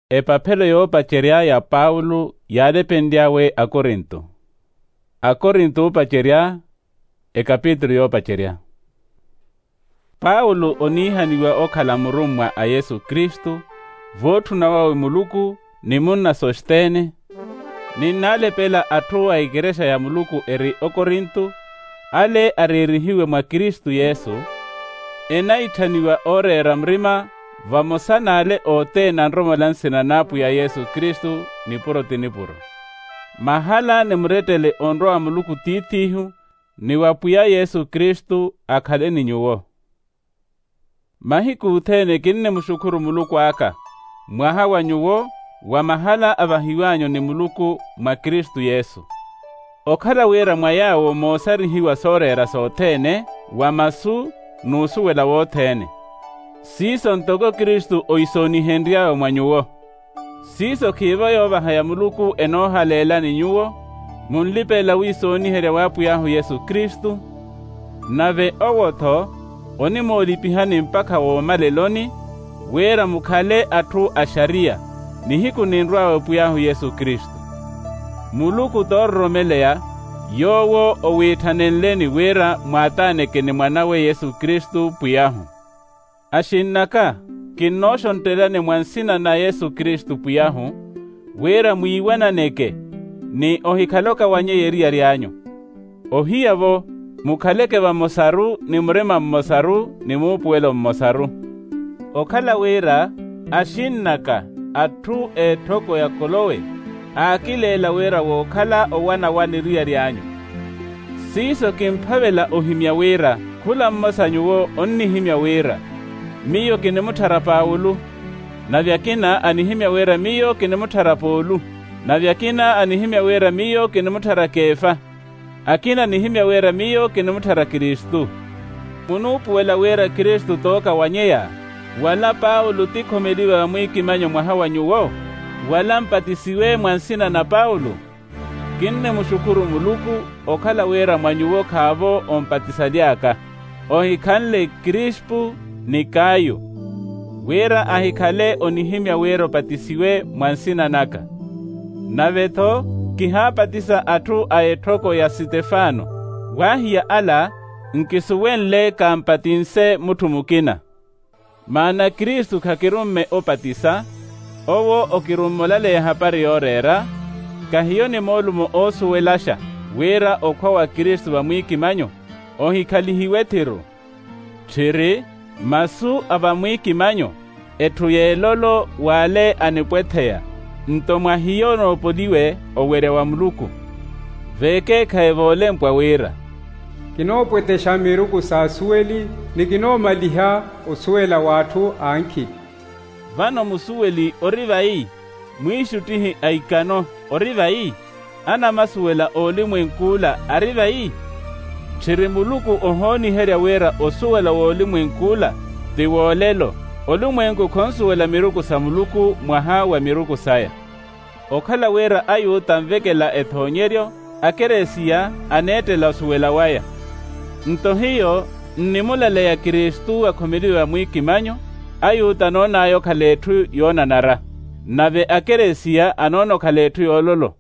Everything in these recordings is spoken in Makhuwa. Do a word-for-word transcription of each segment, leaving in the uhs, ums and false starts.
Epaphelo yoopacerya ya paulo yaalepenly'awe akorinto. Akorinto oopacerya. Ekapitulu yoopacerya. Paulo oniihaniwa okhala murummwa a yesu kristu, vootthuna wawe muluku ni munna sosthene. Ninnaalepela atthu a ikerexa ya muluku eri okorinto, ale areerihiwe mwa kristu yesu, enaittaniwa ooreera murima vamosa n'ale othene anromola nsina n'apwiya yesu kristu. Nipuro ti nipuro. Mahala ni murettele onrwa wa muluku tiith'ihu, ni wa pwiya yesu kristu akhale ni nyuwo. Mahiku othene kinnimuxukhuru muluku aka, mwaha wa nyuwo, wa mahala avahiw'anyu ni muluku mwa kristu yesu. Okhala wira mwa yaawo moosarihiwa sooreera sothene, wa masu, n'usuwela wothene. Siiso ntoko kristu ohisoonihenry'awe mwa nyuwo. Siiso khiivo yoovaha ya muluku enoohaleelani nyuwo, munlipelela wiisooniherya w'apwiy'ahu yesu kristu. Nave owo-tho onimoolipihani mpakha woomaleloni, wira mukhale atthu a xariya, nihiku ninrw'awe pwiy'ahu yesu kristu. Muluku toororomeleya, yoowo owiitthanenleni wira mwaataaneke ni mwan'awe yesu kristu pwiy'ahu. Axinn'aka, kinnooxonttelani mwa nsina na yesu kristu pwiy'ahu, wira mwiiwananeke, ni ohikhale okawanyeya eriyari anyu. Ohiya-vo, mukhaleke vamosaru ni murima mmosaru ni muupuwelo mmosaru. Okhala wira, axinn'aka, atthu a etthoko ya kolowe, aakileela wira wookhala owana wani eriyari anyu. Siiso kimphavela ohimya wira, khula mmosa nyuwo onnihimya wira, miyo kinimutthara paulo, nave akina anihimya wira miyo kinimutthara paulo, nave akina anihimya wira miyo kinimutthara kefa, akina anihimya wira miyo kinimutthara kristu. Munuupuwela wira kristu t'okawanyeya, wala paulo ti khomeliwe vamwiikimanyo mwaha wa nyuwo, wala mpatisiwe mwa nsina na paulo? Kinnimuxukhuru muluku, okhala wira mwa nyuwo khaavo ompatisaly'aka, ohikhanle krispu ni kayo, wira ahikhale onihimya wira opatisiwe mwa nsina naka. Nave-tho, kihaapatisa atthu a etthoko ya sitefano, waahiya ala, nkisuwenle kaampatinse mutthu mukina. Maana kristu khakirumme opatisa, owo okirumme olaleya ehapari yooreera, kahiyo ni moolumo oosuwelaxa, wira okhwa wa kristu vamwiikimanyo ohikhalihiwe ethiru. Tthiri, masu a vamwiikimanyo, etthu y'elolo w'ale anipwetheya, nto mwa hiyo onoopoliwe owerya wa muluku. Veekeekhayi voolempwa wira, kinoopwethexa miruku s'asuweli, ni kinoomaliha osuwela w'atthu ankhili. Vano musuweli ori vayi? Mwiixuttihi a ikano ori vayi? Anamasuwela a olimwenk'ula ari vayi? Tthiri muluku ohooniherya wira osuwela w'olimwenk'ula ti woolelo. Olumwenku khonsuwela miruku sa muluku mwaha wa miruku saya. Okhala wira ayuta anvekela ethoonyeryo, akeresiya aneettela osuwela waya. Nto hiyo nnimulaleya kristu akhomeliwe vamwiikimanyo, ayuta anoon'aya okhala etthu yoonanara, nave akeresiya anoona okhala etthu yoololo.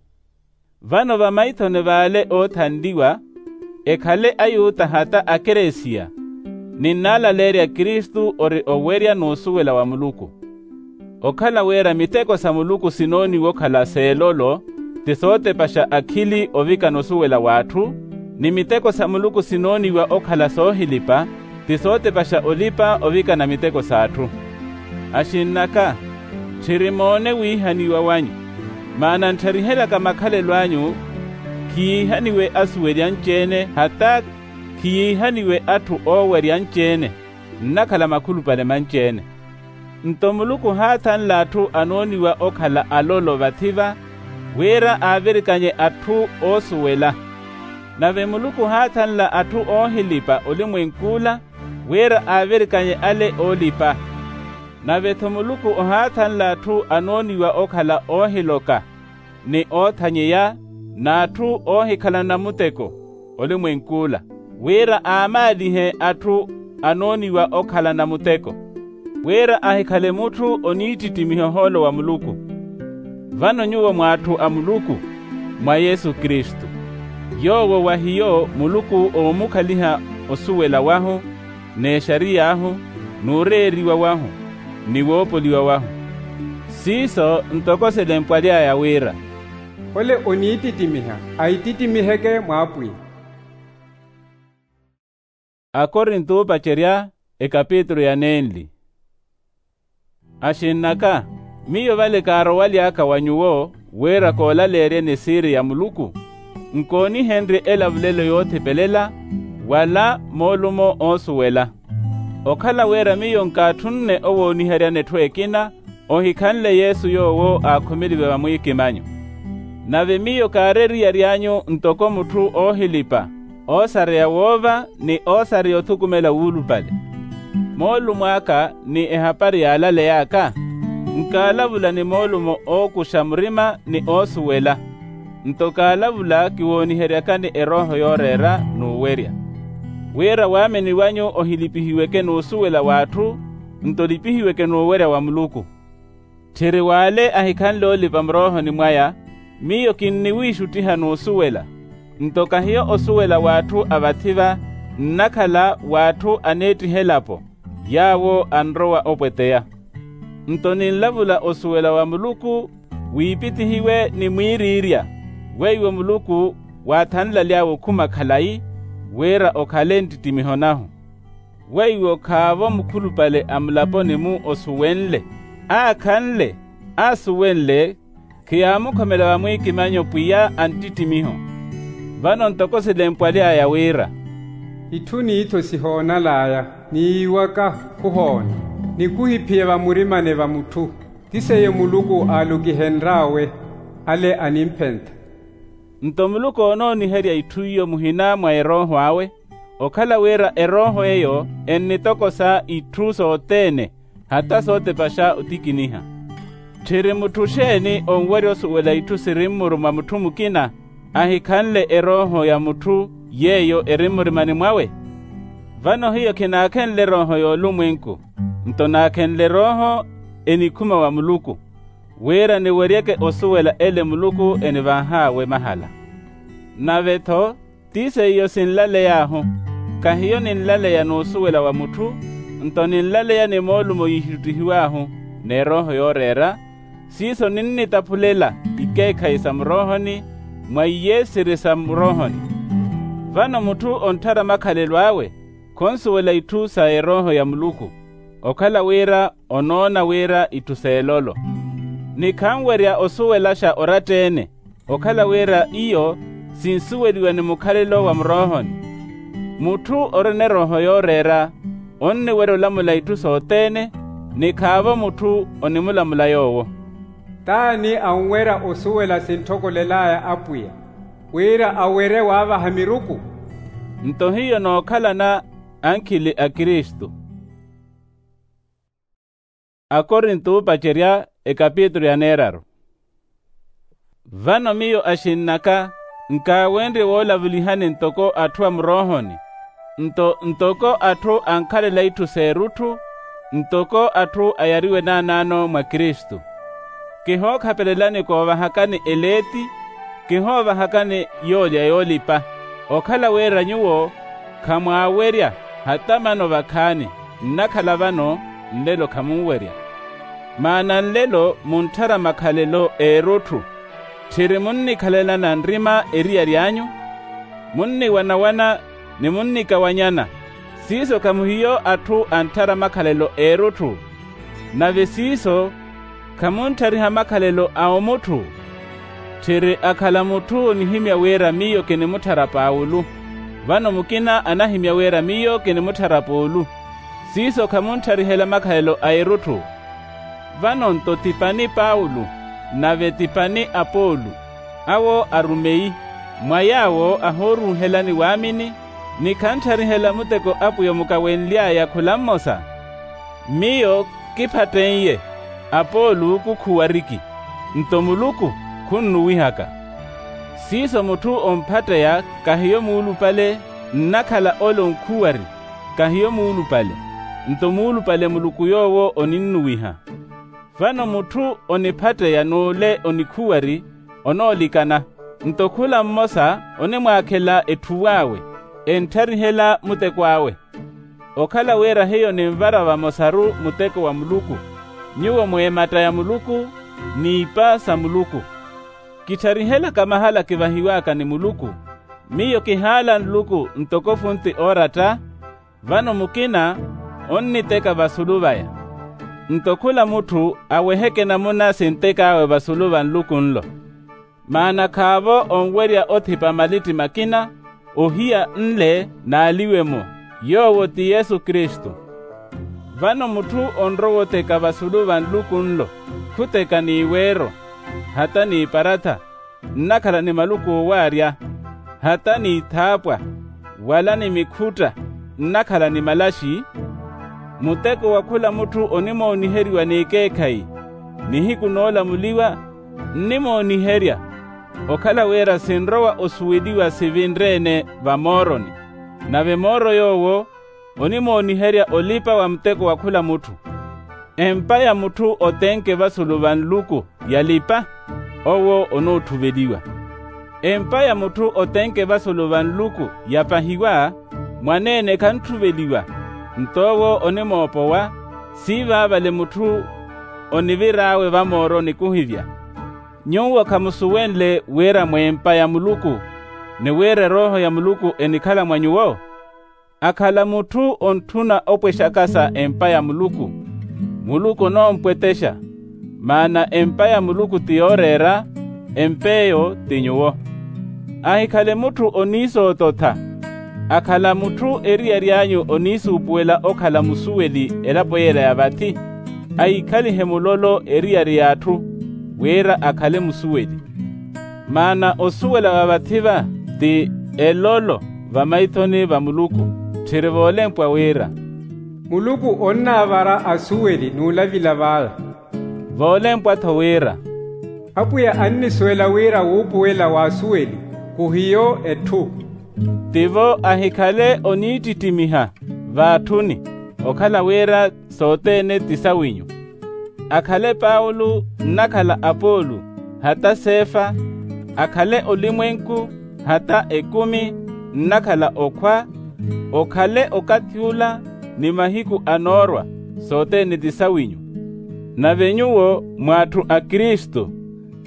Vano vamaithoni v'ale oothanliwa, ekhale ayuta hata akeresiya, ninnaalaleerya kristu ori owerya n'usuwela wa muluku. Okhala wira miteko sa muluku sinooniwa okhala s'elolo, ti sootepaxa akhili ovikana osuwela w'atthu, ni miteko sa muluku sinooniwa okhala soohilipa, ti sootepaxa olipa ovikana miteko s'atthu. Axinn'aka, tthiri moone wiihaniwa wanyu. Maana ntthariheryaka makhalelo anyu, khiyiihaniwe asuweli anci-ene hata khiyiihaniwe atthu oowerya anci-ene, nnakhala makhulupale manci-ene. Nto muluku ohaathanla atthu anooniwa okhala alolo vathi-va, wira aavirikanye atthu oosuwela. Nave muluku ohaathanla atthu oohilipa olimwenk'ula, wira aavirikanye ale oolipa. Nave-tho muluku ohaathanla atthu anooniwa okhala oohiloka, ni oothanyeya, n'atthu oohikhalana muteko olimwenk'ula, wira aamaalihe atthu anooniwa okhalana muteko. wira ahikhale mutthu oniittittimiha ohoolo wa muluku. Vano nyuwo mw'atthu a muluku, mwa yesu kristu, yoowo wa hiyo muluku oomukhaliha osuwela wahu, n'exariy'ahu, n'ureeriwa wahu, ni woopoliwa wahu. Siiso ntoko silempwaly'aya wira, ole oniittittimiha aittittimiheeke mw'apwiya. Akorinto oopacerya, ekapitulu ya nenli. Axinn'aka, miyo vale kaarowaly'aka wa nyuwo wira koolaleeryeni esiiri ya muluku, nkoonihenrye elavulelo yoothipelela, wala moolumo oosuwela. Okhala wira miyo nkaatthunne owooniheryani etthu ekina, ohikhanle yesu yoowo aakhumeliwe vamwiikimanyo. Nave miyo kaari eriyari anyu ntoko mutthu oohilipa, oosareya woova ni oosareya othukumela wuulupale. Moolumo aka ni ehapari yaalaley'aka, nkaalavula ni moolumo ookuxa murima ni oosuwela. Nto kaalavula kiwooniheryakani erooho yooreera n'uwerya, wira waamini wanyu ohilipihiweke n'usuwela w'atthu, nto olipihiweke n'uwerya wa muluku. Tthiri w'ale ahikhanle olipa muroohoni mwaya, miyo kinniwiixuttiha n'usuwela. Nto kahiyo osuwela w'atthu a vathi-va, nnakhala w'atthu aneettiha elapo, yaawo anrowa opweteya. Nto ninlavula osuwela wa muluku, wiipittihiwe ni mwiiriirya, weiwo muluku waathanlaly'awe okhuma khalayi, wira okhale nttittimiho nahu. Weiwo khaavo mukhulupale a mulaponi-mu osuwenle, aakhanle, aasuwenle, khiyaamukhomela vamwiikimanyo pwiya a nttittimiho. Vano ntoko silempwaly'aya wira, itthu n'iitho sihoonal'aya, ni yiiwaka khuhoona, ni khuhiphiya vamurimani va mutthu, ti seiyo muluku aalukihenr'awe, ale animphentha. Nto muluku oonooniherya itthu iyo muhina mwa erooho awe, okhala wira erooho eyo ennitokosa itthu sothene, hata sootepaxa otikiniha. Tthiri mutthu xeeni onwerya osuwela itthu siri mmuru mwa mutthu mukina, ahikhanle erooho ya mutthu yeeyo eri mmurimani mwawe? Vano hiyo khinaakhenle erooho y'olumwenku, nto naakhenle erooho enikhuma wa muluku, wira niweryeke osuwela ele muluku enivah'awe mahala. Nave-tho, ti seiyo sinlaley'ahu, kahiyo ninlaleya n'usuwela wa mutthu, nto ninlaleya ni moolumo yiixuttihiw'ahu, n'erooho yooreera. Siiso ninnitaphulela ikeekhayi sa muroohoni, mwa iye siri sa muroohoni. Vano mutthu ontthara makhalelo awe, khonsuwela itthu sa erooho ya muluku, okhala wira onoona wira itthu s'elolo. Ni khanwerya osuwelaxa oratta-ene, okhala wira iyo sinsuweliwa ni mukhalelo wa muroohoni. Mutthu orina erooho yooreera, onniwerya olamula itthu sothene, ni khaavo mutthu onimulamula yoowo. T'ani anwerya osuwela sintthokolel'aya apwiya, wira awerye waavaha miruku? Nto hiyo nookhalana ankhili a kristu. Akorinto oopacerya, ekapitulu ya neeraru. Vano miyo axinn'aka, nkaawenrye woolavulihani ntoko atthu a muroohoni, nto ntoko atthu ankhalela itthu s'erutthu, ntoko atthu ayariwe naanaano mwa kristu. Kihookhapelelani koovahakani eleeti, kihoovahakani yoolya yoolipa, okhala wira nyuwo khamwaawerya, hata mano vakhaani nnakhala vano, nlelo khamunwerya. Maana nlelo muntthara makhalelo eerutthu, tthiri munnikhalelana nrima eriyari anyu, munniwanawana ni munnikawanyana. Siiso khamuhiyo atthu antthara makhalelo eerutthu, nave siiso khamuntthariha makhalelo a omutthu. Tthiri akhala mutthu onihimya wira miyo kinimutthara paulo, vano mukina anahimya wira miyo kinimutthara paulo. Siiso khamuntharihela makhalelo a erutthu. Vano nto ti pani paulo, nave ti pani apolo, awo arumeyi, mwa yaawo ahooruuhelani waamini, ni khantharihela muteko apwiya omukawenly'aya khula mmosa. Miyo kiphatten'ye, apolo kukhuwariki, nto muluku khunnuwihaka. Siiso mutthu omphatteya kahiyo muulupale, nnakhala ole onkhuwari, kahiyo muulupale. nto muulupale muluku yoowo oninnuwiha. Vano mutthu oniphatteya n'ule onikhuwari onoolikana, nto khula mmosa onimwaakhela etthuw'awe, enttarihela muteko awe. Okhala wira hiyo ninvara vamosaru muteko wa muluku, nyuwo mweematta ya muluku n'ipa sa muluku. Kittarihelaka mahala kivahiw'aka ni muluku. Miyo kihaala nluku ntoko funti ooratta. Vano mukina onniteka vasulu vaya. Nto khula mutthu aweheke namuna sintek'awe vasulu va nluku nlo. Maana khaavo onwerya othipa malitti makina ohiya nle n'aliwe-mo, yoowo ti yesu kristu. Vano mutthu onrowa otheka vasulu va nluku nlo, khuteka n'iweero, hata n'iparatha, nnakhala ni maluku oowaarya, hata n'ithaapwa, wala ni mikhutta, nnakhala ni malaxi. Muteko wa khula mutthu onimooniheriwa n'ikeekhayi. Nihiku noolamuliwa nnimooniherya, okhala wira sinrowa osuweliwa sivinre-ene vamooroni. Nave mooro yoowo onimooniherya olipa wa muteko wa khula mutthu. Empa ya mutthu otenke vasulu va nluku yalipa, owo onoottuveliwa. Empa ya mutthu otenke vasulu va nluku yapahiwa, mwaneene khantthuveliwa, nto owo onimoopowa. Siivaavale mutthu onivir'awe vamooroni kuhivya. Nyuwo khamusuwenle wira mw'empa ya muluku, ni wira erooho ya muluku enikhala mwa nyuwo? Akhala mutthu ontthuna opwexaka sa empa ya muluku, muluku onoompwetexa. Maana empa ya muluku ti yooreera, emp'eyo ti nyuwo. Ahikhale mutthu oniisoototha. Akhala mutthu eriyari anyu oniisuupuwela okhala musuweli elapo yeela ya vathi, ahikhalihe mulolo eriyari y'atthu, wira akhale musuweli. Maana osuwela wa vathi-va ti elolo vamaithoni va muluku. Tthiri voolempwa wira, muluku onnaavara asuweli n'ulavila vaya. Voolempwa-tho wira, apwiya annisuwela wira wuupuwela w'asuweli khuhiyo etthu. Tivo ahikhale oniittittimiha v'atthuni, okhala wira sothene ti sawinyu. Akhale paulo nnakhala apolo, hata sefa, akhale olimwenku, hata ekumi, nnakhala okhwa, okhale okathi ula ni mahiku anoorwa, sothene ti sawinyu. Nave nyuwo mw'atthu a kristu,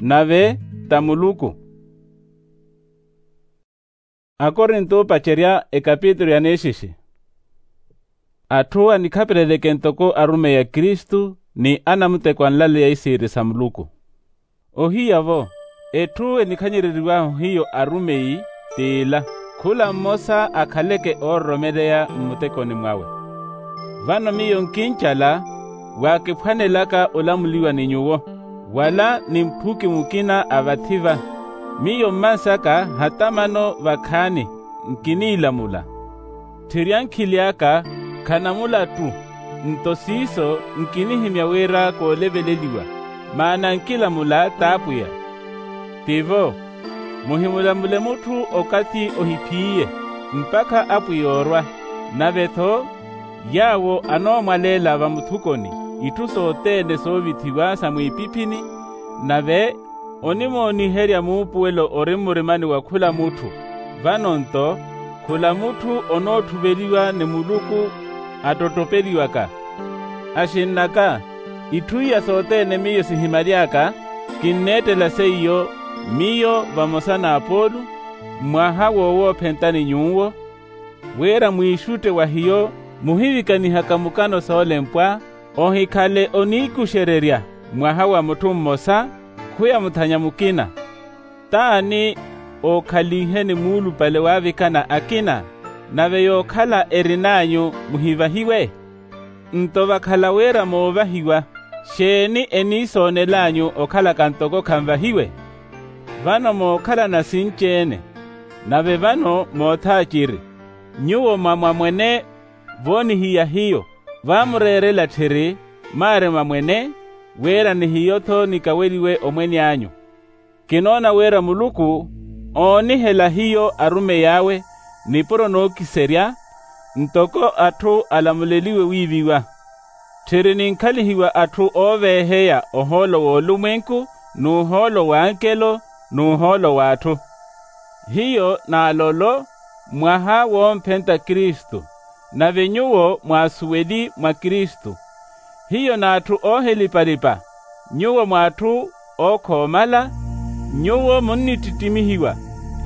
nave ta muluku. Akorinto opacerya ekapitulu ya neexixi. Atthu anikhapeleleke ntoko arumeyi a kristu ni anamuteko anlaleya isiiri sa muluku. Ohiya-vo, etthu enikhanyereriwahu hiyo arumeyi t'ila, khula mmosa akhaleke oororomeleya mmutekoni mwawe. Vano miyo nkincala, waakiphwanelaka olamuliwa ni nyuwo, wala ni mphuki mukina a vathi-va. Miyo mmansaka hata mano vakhaani nkiniilamula. Tthiri ankhili aka khanamula-ttu, nto siiso nkinihimya wira kooliveleliwa, maana nkilamula t'apwiya. Tivo, muhimulamule mutthu okathi ohiphiye, mpakha apwiya oorwa. Nave-tho yaawo anoomwaleela vamuthukoni itthu sothene soovithiwa sa mwiipiphini. Nave onimooniherya muupuwelo ori mmurimani wa khula mutthu. Vano-nto khula mutthu onoottuveliwa ni muluku attottopeliwaka. Axinn'aka, itthu iya sothene miyo sihimaly'aka, kinneettela seiyo, miyo vamosa n'apolo, mwaha wowoophentani nyuwo, wira mwiixutte wa hiyo muhivikanihaka mukano soolempwa, ohikhale oniikuxererya mwaha wa mutthu mmosa, khuyamuthanya mukina. T'ani ookhalinheni muulupale waavikana akina? Nave yookhala erin'anyu muhivahiwe. Nto vakhala wira moovahiwa, xeeni eniisoonel'anyu okhalaka ntoko khanvahiwe? Vano mookhalana sinci-ene. Nave vano moothaaciri, nyuwo mwa mwamwene voonihiya hiyo, vaamureerela tthiri maari mwamwene, wira ni hiyo-tho nikaweliwe omwene anyu. Kinoona wira muluku oonihela hiyo arumeyi awe nipuro nookiserya, ntoko atthu alamuleliwe wiiviwa. Tthiri ninkhalihiwa atthu ooveeheya ohoolo w'olumwenku n'uhoolo w'ankelo n'uhoolo w'atthu. Hiyo n'alolo mwaha womphenta kristu, nave nyuwo mwaasuweli mwa kristu. Hiyo n'atthu oohilipa-lipa, nyuwo mw'atthu ookhoomala. Nyuwo munnittittimihiwa,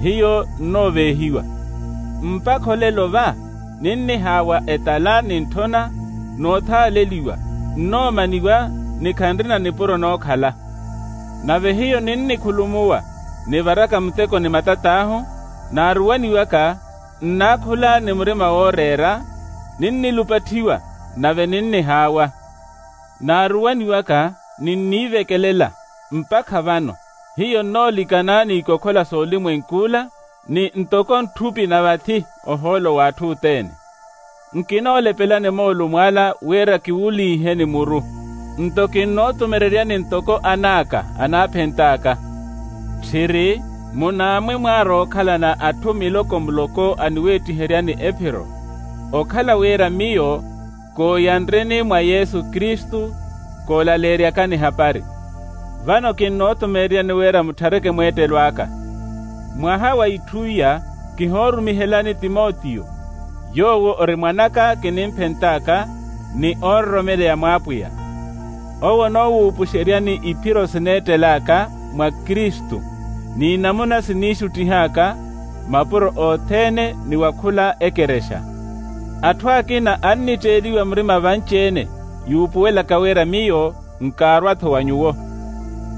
hiyo nnooveehiwa. Mpakha olelo va ninnihaawa etala ni ntthona, n'othaaleliwa, nnoomaniwa, ni khanrina nipuro nookhala. Nave hiyo ninnikhulumuwa nivaraka muteko ni matat'ahu. Naaruwaniwaka nnaakhula ni murima wooreera, ninnilupatthiwa, nave ninnihaawa. Naaruwaniwaka ninniivekelela mpakha vano. Hiyo nnoolikana n'ikokhola s'olimwenk'ula, ni ntoko ntthupi na vathi ohoolo w'atthu othene. Nkinoolepelani moolumo ala wira kiwuliiheni muru, nto kinnootumereryani ntoko an'aka anaaphent'aka. Tthiri, munaamwi mwaara okhalana atthu miloko-muloko aniweettiheryani ephiro, okhala wira miyo kooyanreni mwa yesu kristu, koolaleeryakani ehapari. Vano kinnootumeeryani wira mutthareke mweettelo aka. Mwaha wa itthu iya kihoorumihelani timotiyo, yoowo ori mwan'aka kinimphent'aka, ni oonroromeleya mw'apwiya. Owo onoowuupuxeryani iphiro sineettel'aka mwa kristu, n'inamuna siniixuttih'aka mapuro othene ni wa khula ekerexa. Atthu akina annitteeliwa murima vanci-ene, yuupuwelaka wira miyo nkaarwa-tho wa nyuwo.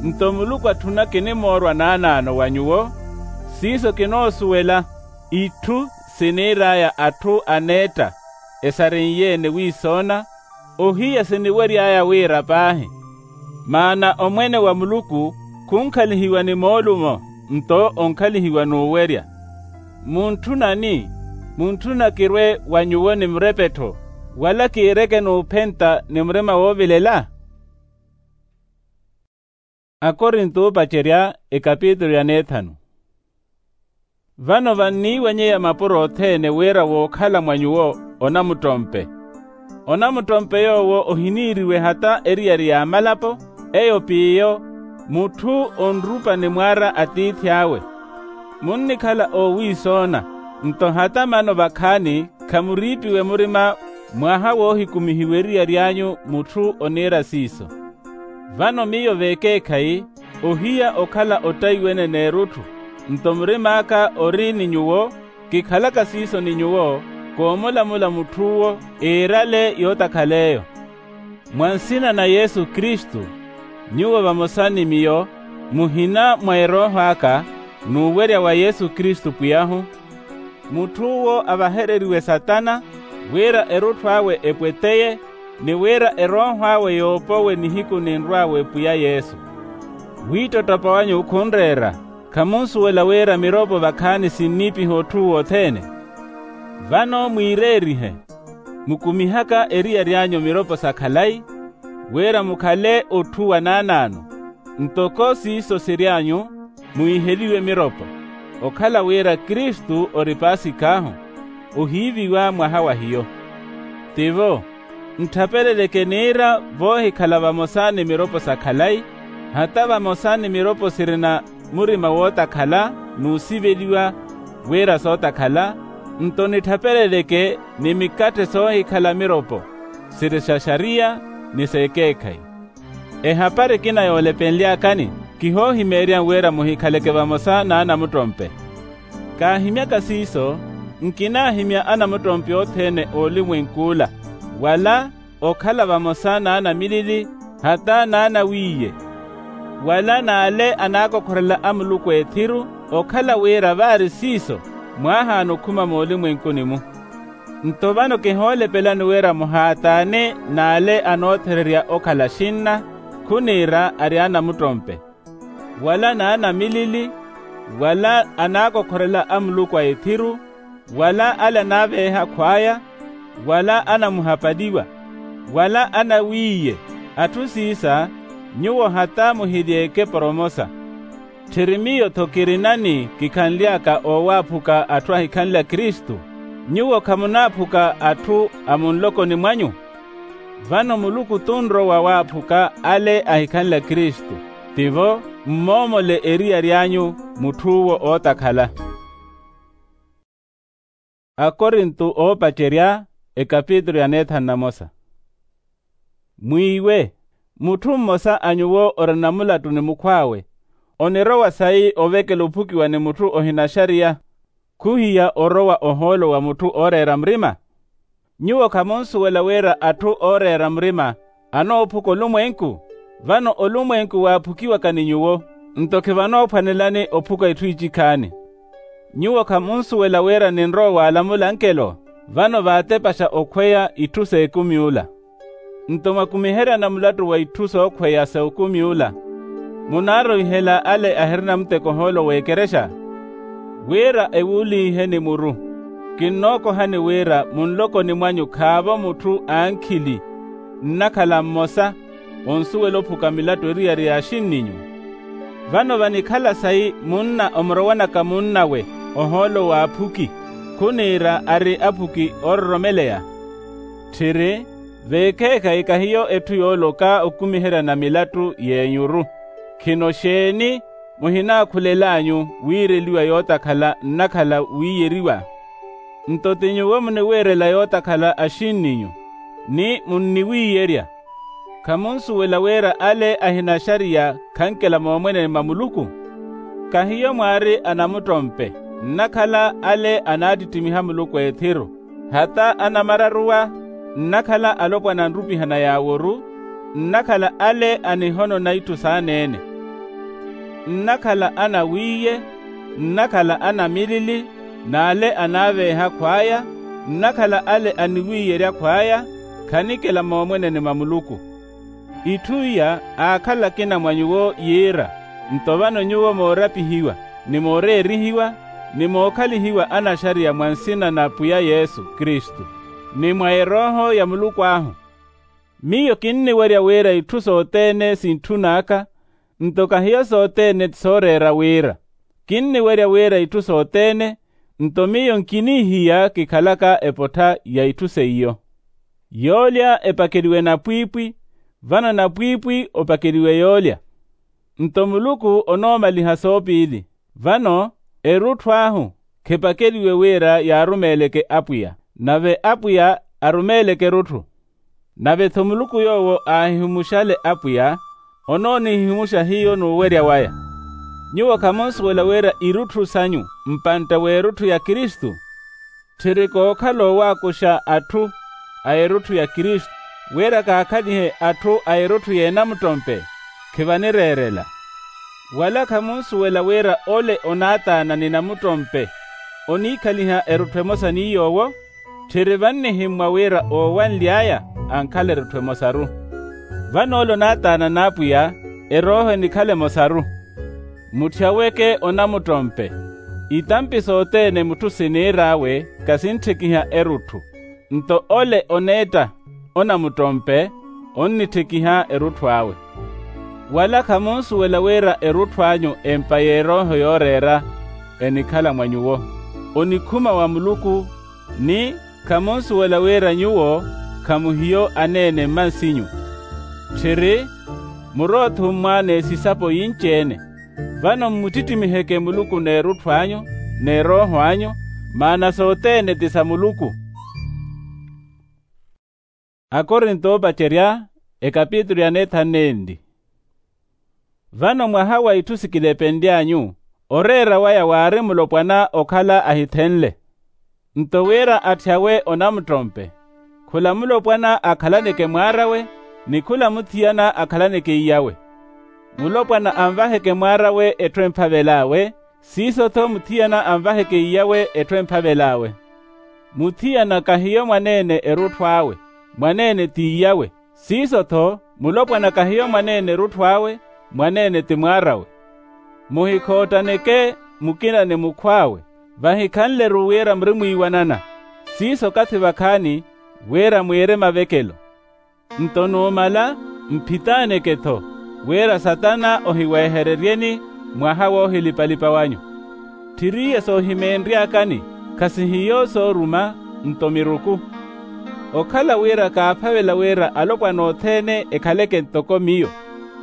Nto muluku atthuna kinimoorwa naanaano wa nyuwo. Siiso kinoosuwela itthu siniir'aya atthu aneetta esarin'ye-ene wiisoona, ohiya siniwery'aya wira paahi. Maana omwene wa muluku khunkhalihiwa ni moolumo, nto onkhalihiwa n'uwerya. Muntthunani? Muntthuna kirwe wa nyuwo ni murepe-tho, wala kiireke n'uphenta ni murima woovilela? Akorinto oopacerya, ekapitulu ya neethanu. Vano vanniiwanyeya mapuro othene wira wookhala mwa nyuwo onamuttompe. Onamuttompe yoowo ohiniiriwe hata eriyari y'amalapo, eyo p'iyo mutthu onrupa ni mwaara atiithi awe. Munnikhala oowiisoona, nto hata mano vakhaani khamuriipiwe murima mwaha woohikumihiwa eriyari anyu mutthu oniira siiso. Vano miyo vekeekhayi ohiya okhala ottaiwene n'erutthu, nto murim'aka ori ni nyuwo, kikhalaka siiso ni nyuwo, koomulamula mutth'uwo iirale yootakhal'eyo. Mwa nsina na yesu kristu, nyuwo vamosa ni miyo muhina mwa erooho aka n'uwerya wa yesu kristu pwiy'ahu. Mutth'uwo avahereriwe satana, wira erutthu awe epweteye, ni wira erooho awe yoopowe nihiku ninrw'awe pwiya yesu. Wiittottopa wanyu khunreera, khamunsuwela wira miropo vakhaani sinniipiha otthu wothene? Vano mwiireerihe, mukumihaka eriyari anyu miropo sa khalayi, wira mukhale otthu wa naanaano. Ntoko siiso siry'anyu, muhiheliwe miropo, okhala wira kristu ori paasik'ahu, ohiiviwa mwaha wa hiyo. Tivo, ntthapeleleke niira voohikhala vamosa ni miropo sa khalayi, hata vamosa ni miropo sirina murima wootakhala n'usiveliwa wira sootakhala, nto nitthapeleleke ni mikatthe soohikhala miropo, siri sa xariya ni s'ekeekhayi. Ehapari ekina yoolepenly'akani, kihoohimeerya wira muhikhaleke vamosa n'anamuttompe. Kaahimyaka siiso, nkinaahimya anamuttompe othene oolimwenk'ula, wala okhala vamosa n'anamilili, hata n'anawiiye, wala n'ale anaakokhorela amuluku ethiru, okhala wira vaari siiso mwaahaana okhuma moolimwenkuni-mu. Nto vano kihoolepelani wira muhaataane n'ale anoothererya okhala xinna, khuniira ari anamuttompe, wala n'anamilili, wala anaakokhorela amuluku a ethiru, wala ale anaaveeha khwaya, wala anamuhapaliwa, wala anawiiye. Atthu siisa, nyuwo hata muhilyeeke poromosa. Tthiri miyo-tho kirinani kikhanly'aka oowaaphuka atthu ahikhanlya kristu? Nyuwo khamunaaphuka atthu a munlokoni mwanyu? Vano muluku t'unrowa waaphuka ale ahikhanle akristu, tivo mmoomole eriyari anyu. Mutth'uwo ootakhala. Akorinto oopacerya, ekapitulu ya neethanu na mosa. Mwiiwe, mutthu mmosa a nyuwo orina mulattu ni mukhw'awe, onirowa sayi ovekela ophukiwa ni mutthu ohinaxariya, khuhiya orowa ohoolo wa mutthu ooreera murima? Nyuwo khamunsuwela wira atthu ooreera murima anoophuka olumwenku? Vano olumwenku waaphukiwaka ni nyuwo, nto khivanoophwanelani ophuka itthu icikhaani. Nyuwo khamunsuwela wira ninrowa waalamula ankelo, vano vaatepaxa okhweya itthu s'ekumi ola. Nto mwakumiheryana mulattu wa itthu sookhweya s'ekumi ola, munaarowihela ale ahirina muteko ohoolo w'ekerexa? Wira ewuuliihe ni muru, kinnookohani wira munlokoni mwanyu khaavo mutthu ankhili nnakhala mmosa onsuwela ophuka milattu eriyari ya axinninyu. Vano vanikhala sayi munna omurowanaka munnawe ohoolo w'aphuki, khuniira ari aphuki oororomeleya? Tthiri, veekheekhayi kahiyo etthu yooloka okumiheryana milattu y'enyuru. Khino xeeni muhinaakhulel'anyu wiireliwa yootakhala nnakhala wiiyeriwa? Nto ti nyuwo muniwiirela yootakhala axinninyu, ni munniwiiyerya. Khamunsuwela wira ale ahinaxariya khankela moomweneni mwa muluku? Kahiyo mwaari anamuttompe, nnakhala ale anaattittimiha muluku ethiru, hata anamararuwa, nnakhala alopwana anrupihana yaaworu, nnakhala ale anihonona itthu saaneene, nnakhala anawiiye, nnakhala anamilili, n'ale anaaveeha khw'aya, nnakhala ale aniwiiyerya khw'aya, khanikela moomweneni mwa muluku. Itthu iya aakhala akina mwa nyuwo yiira, nto vano nyuwo moorapihiwa, ni mooreerihiwa, ni mookhalihiwa anaxariya mwa nsina na pwiya yesu kristu, ni mwa erooho ya muluku ahu. Miyo kinniwerya wira itthu sothene sintthun'aka, nto kahiyo sothene ti sooreera wira. Kinniwerya wira itthu sothene, nto miyo nkinihiya kikhalaka epottha ya itthu seiyo. Yoolya epakeliwe napwiipwi, vano napwiipwi opakeliwe yoolya. Nto muluku onoomaliha soopiili. Vano erutthu ahu khepakeliwe wira yaarumeeleke apwiya, nave apwiya arumeeleke erutthu. Nave-tho muluku yoowo aahihumuxale apwiya, onoonihihimuxa hiyo n'uwerya waya. Nyuwo khamunsuwela wira irutthu sanyu mpantte w'erutthu ya kristu? Tthiri kookhala owaakuxa atthu a erutthu ya kristu, wira kaakhalihe atthu a erutthu y'enamuttompe, khivanireerela. Wala khamunsuwela wira ole onaataana ni namuttompe oniikhaliha erutthu emosa ni yoowo? Tthiri vannihimmwa wira oowanly'aya ankhala erutthu emosaru. Vano ole onaataana n'apwiya, erooho enikhala emosaru. Mutthi aweke onamuttompe, itampi sothene mutthu siniir'awe kasinttikiha erutthu, nto ole oneetta onamuttompe onnitthikiha erutthu awe. Wala khamunsuwela wira erutthu anyu empa y'erooho yooreera enikhala mwa nyuwo, onikhuma wa muluku, ni khamunsuwela wira nyuwo khamuhiyo aneene mmansinyu. Tthiri, murowa-thummwa n'esisapo yinci-ene, vano mmutittimiheke muluku n'erutthu anyu n'erooho anyu, maana sothene ti sa muluku. Akorinto oopacerya, ekapitulu ya neethanu nenli. Vano mwaha wa itthu sikilepenly'anyu, oreera waya waari mulopwana okhala ahithenle. Nto wira atthi awe onamuttompe, khula mulopwana akhalaneke mwaar'awe, ni khula muthiyana akhalaneke iy'awe. Mulopwana anvaheke mwaar'awe etthu emphavel'awe, siiso-tho muthiyana anvaheke iy'awe etthu emphavel'awe. Muthiyana kahiyo mwaneene erutthu awe, mwaneene ti iy'awe. Siiso-tho mulopwana kahiyo mwaneene erutthu awe, mwaneene ti mwaar'awe. Muhikhoottaneke mukina ni mukhw'awe, vahikhanle-ru wira muri mwiiwanana. Siiso okathi vakhaani wira mwiire mavekelo. Nto numala mphitaaneke-tho, wira satana ohiweehereryeni mwaha woohilipa-lipa wanyu. Tthiriye soohimeenry'akani, Khasihiyo sooruma, nto miruku. Okhala wira kaaphavela wira alopwana othene ekhaleke ntoko miyo,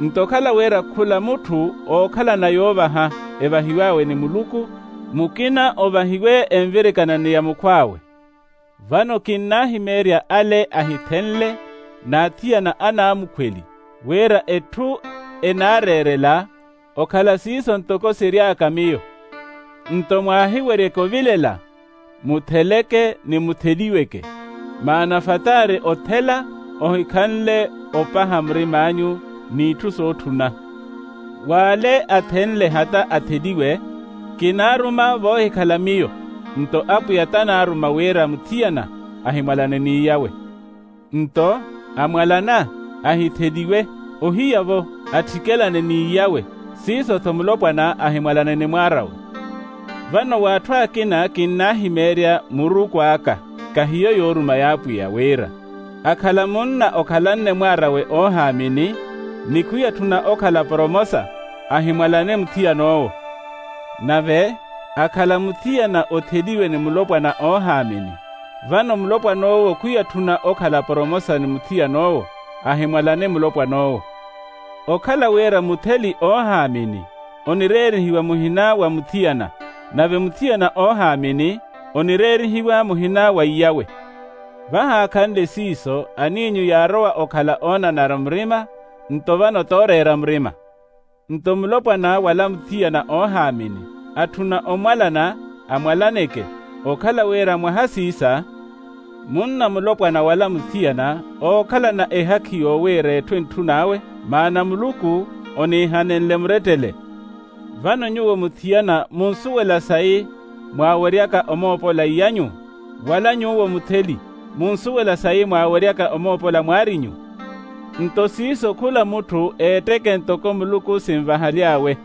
nto okhala wira khula mutthu ookhalana yoovaha evahiw'awe ni muluku, mukina ovahiwe envirikana ni ya mukhw'awe. Vano kinnaahimeerya ale ahithenle n'athiyana anaamukhweli, wira etthu enaareerela okhala siiso ntoko siry'aka miyo. Nto mwaahiweryeke ovilela, mutheleke ni mutheliweke. Maana fataari othela ohikhanle opaha murim'anyu n'itthu sootthuna. W'ale athenle hata atheliwe, kinaaruma voohikhala miyo, nto apwiya tanaaruma wira muthiyana ahimwalane n'iy'awe. Nto amwalana, ahitheliwe, ohiya-vo attikelane n'iy'awe, siiso-tho mulopwana ahimwalane ni mwaar'awe. Vano w'atthu akina kinnaahimeerya muruku aka, kahiyo yooruma y'apwiya wira, akhala munna okhalanne mwaar'awe oohaamini, ni khwiyatthuna okhala poromosa, ahimwalane muthiyan'owo. Nave akhala muthiyana otheliwe ni mulopwana oohaamini, vano mulopwan'owo khwiyatthuna okhala poromosa ni muthiyan'owo, ahimwalane mulopwan'owo. Okhala wira mutheli oohaamini onireerihiwa muhina wa muthiyana, nave muthiyana oohaamini onireerihiwa muhina wa iy'awe. Vahaakhanle siiso aniinyu yaarowa okhala oonanara murima, nto vano tooreera murima. Nto mulopwana wala muthiyana oohaamini atthuna omwalana, amwalaneke, okhala wira mwaha siisa, munna mulopwana wala muthiyana ookhalana ehakhi yoowiira etthu entthun'awe, maana muluku oniihanenle murettele. Vano nyuwo muthiyana munsuwela sayi mwaaweryaka omoopola iy'anyu, wala nyuwo mutheli munsuwela sayi mwaaweryaka omoopola mwaar'inyu? Nto siiso khula mutthu eetteke ntoko muluku sinvahaly'awe,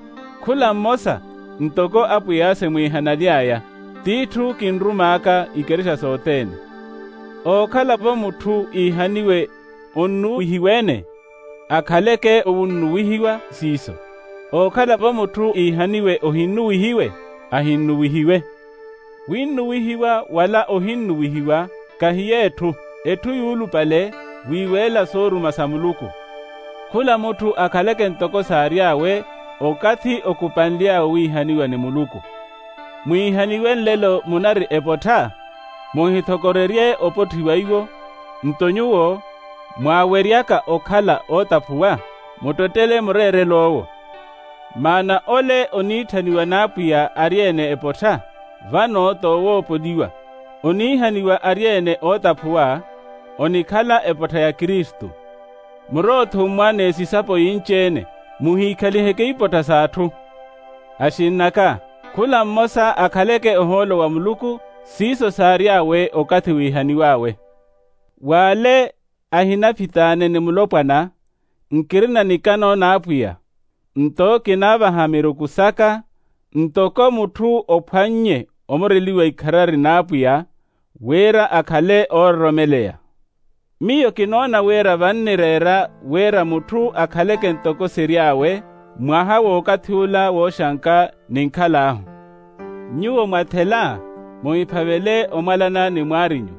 khula mmosa ntoko apwiya simwiihanaly'aya, t'itthu kinrumaaka ikerixa sothene. Ookhala-vo mutthu iihaniwe onnuwihiwe-ene, akhaleke owunnuwihiwa siiso. Ookhala-vo mutthu iihaniwe ohinnuwihiwe, ahinnuwihiwe. Winnuwihiwa wala ohinnuwihiwa kahiyo etthu, etthu yuulupale wiiweela sooruma sa muluku. Khula mutthu akhaleke ntoko saary'awe okathi okupanly'awe wiihaniwa ni muluku. Mwiihaniwe nlelo munari epottha, muhithokorerye opotthiwa iwo. Nto nyuwo mwaaweryaka okhala ootaphuwa, muttettele mureerel'owo. Maana ole oniitthaniwa n'apwiya ari-ene epottha, vano toowoopoliwa. Oniihaniwa ari-ene ootaphuwa, onikhala epottha ya kristu. Murothummwa n'esisapo yinci-ene, muhiikhaliheke ipottha s'atthu. Axinn'aka, khula mmosa akhaleke ohoolo wa muluku, siiso saary'awe okathi wiihaniw'awe. W'ale ahinaphitaane ni mulopwana, nkirina nikano n'apwiya, nto kinaavaha miruku saka, ntoko mutthu ophwannye omureliwa ikharari n'apwiya, wira akhale oororomeleya. Miyo kinoona wira vannireera wira mutthu akhaleke ntoko siry'awe, mwaha w'okathi ula wooxanka ninkhal'ahu. Nyuwo mwathela, muhiphavele omwalana ni mwaar'inyu.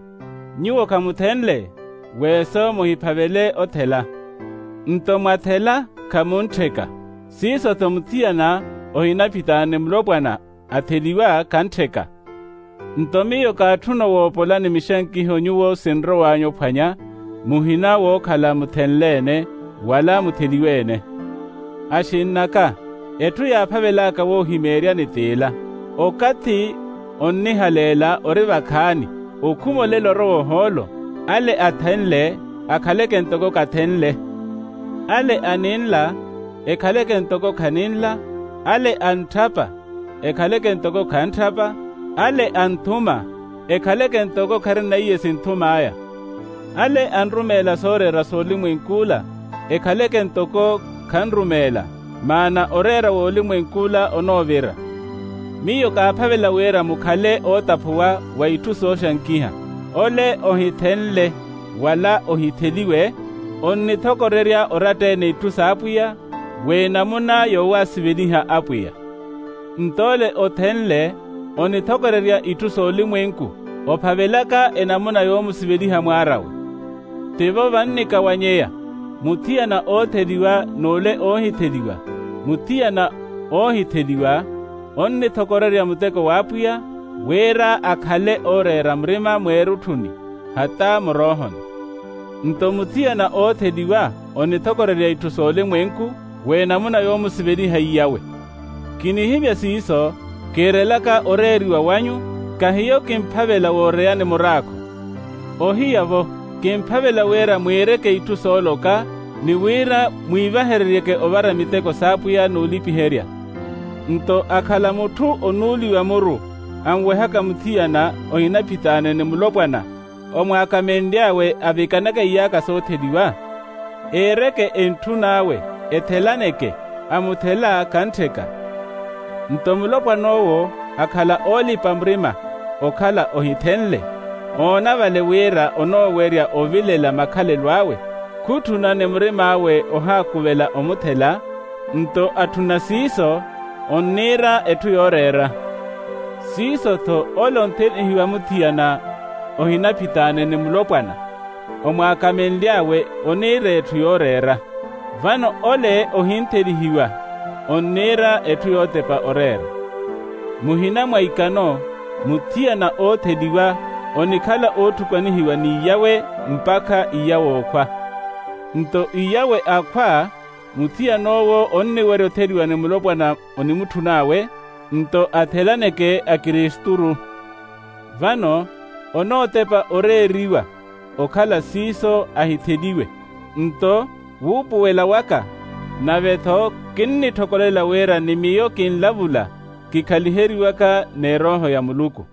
Nyuwo khamuthenle, weeso muhiphavele othela. Nto mwathela, khamunttheka. Siiso-tho muthiyana ohinaphitaane mulopwana atheliwa, khantteka. Nto miyo kaatthuna owoopola ni mixankiho nyuwo sinrow'anyu ophwanya, muhina wookhala muthenle-ene wala mutheliwe-ene. Axinn'aka, etthu yaaphavel'aka woohimeeryani t'ila: okathi onnihaleela ori vakhaani, okhuma olela orowa ohoolo. Ale athenle, akhaleke ntoko kathenle. Ale aninla, ekhaleke ntoko khaninla. Ale antthapa, ekhaleke ntoko khantthapa. Ale anthuma, ekhaleke ntoko kharina iye sinthum'aya. Ale anrumeela sooreera s'olimwenk'ula, ekhaleke ntoko khanrumeela, maana oreera w'olimwenk'ula onoovira. Miyo kaaphavela wira mukhale ootaphuwa wa itthu sooxankiha. Ole ohithenle wala ohitheliwe, onnithokorerya oratta-ene itthu s'apwiya, w'enamuna yoowasiveliha apwiya. Nto ole othenle onithokorerya itthu s'olimwenku, ophavelaka enamuna yoomusiveliha mwaar'awe. Tivo vannikawanyeya, muthiyana ootheliwa n'ule oohitheliwa. Muthiyana oohitheliwa onnithokorerya muteko w'apwiya, wira akhale ooreera murima mweerutthuni, hata muroohoni. Nto muthiyana ootheliwa onithokorerya itthu s'olimwenku, w'enamuna yoomusiveliha iyawe. Kinihimya siiso, kiirelaka oreeriwa wanyu, kahiyo kimphavela wooreyani muraakho. Ohiya-vo, kimphavela wira mwiireke itthu sooloka, ni wira mwiivahereryeke ovara miteko s'apwiya n'ulipiherya. Nto akhala mutthu onuuliwa muru, anwehaka muthiyana ohinaphitaane ni mulopwana, omwaakamenly'awe avikanaka iyaka sootheliwa, eereke entthun'awe, ethelaneke, amuthela kanttheka. Nto mulopwan'owo akhala oolipa murima, okhala ohithenle, oona vale wira onoowerya ovilela makhalelo awe, khutthuna ni murim'awe ohaakuvela omuthela. Nto atthuna siiso, onniira etthu yooreera. Siiso-tho ole onthelihiwa muthiyana ohinaphitaane ni mulopwana, omwaakamenly'awe oniira etthu yooreera. Vano ole ohinthelihiwa onniira etthu yootepa oreera. Muhina mwa ikano, muthiyana ootheliwa onikhala ootthukanihiwa n'iyawe mpakha iyawe okhwa. Nto iyawe akhwa, muthiyan'owo onniwerya otheliwa ni mulopwana onimutthun'awe, nto athelaneke akiristuru. Vano onootepa oreeriwa okhala siiso ahitheliwe. Nto wuupuwela waka, nave-tho kinnitthokolela wira ni miyo kinlavula, kikhaliheriwaka n'erooho ya muluku.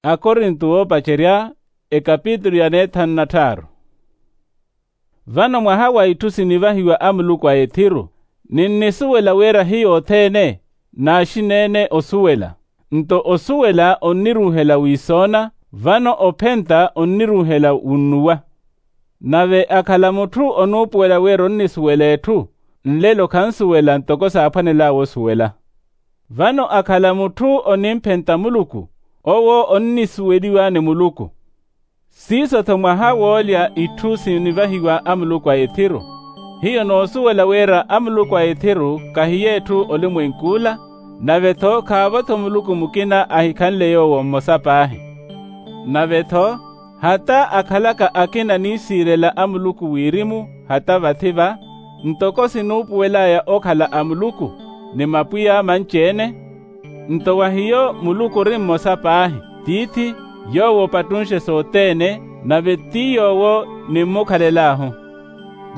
Akorinto woopacerya, ekapitulu ya neethanu na tthaaru. Vano mwaha wa itthu sinivahiwa amuluku a ethiru, ninnisuwela wira hiyo othene naaxineene osuwela. Nto osuwela onniruuhela wiisoona, vano ophenta onniruuhela wunnuwa. Nave akhala mutthu onuupuwela wira onnisuwela etthu, nlelo khansuwela ntoko saaphwanel'awe osuwela. Vano akhala mutthu onimphenta muluku, owo onnisuweliwa ni muluku. Siiso-tho mwaha woolya itthu sinivahiwa amuluku a ethiru. Hiyo noosuwela wira amuluku a ethiru kahiyo etthu olimwenk'ula, nave-tho khaavo-tho muluku mukina ahikhanle yoowo mmosa paahi. Nave-tho hata akhalaka akina niisiirela amuluku wirimu hata vathi-va, ntoko sinuupuwel'aya okhala amuluku ni mapwiya manci-ene. Nto wa hiyo muluku ori mmosa paahi, tiithi, yoowo opattunxe sothene, nave ti yoowo nimmukhalel'ahu.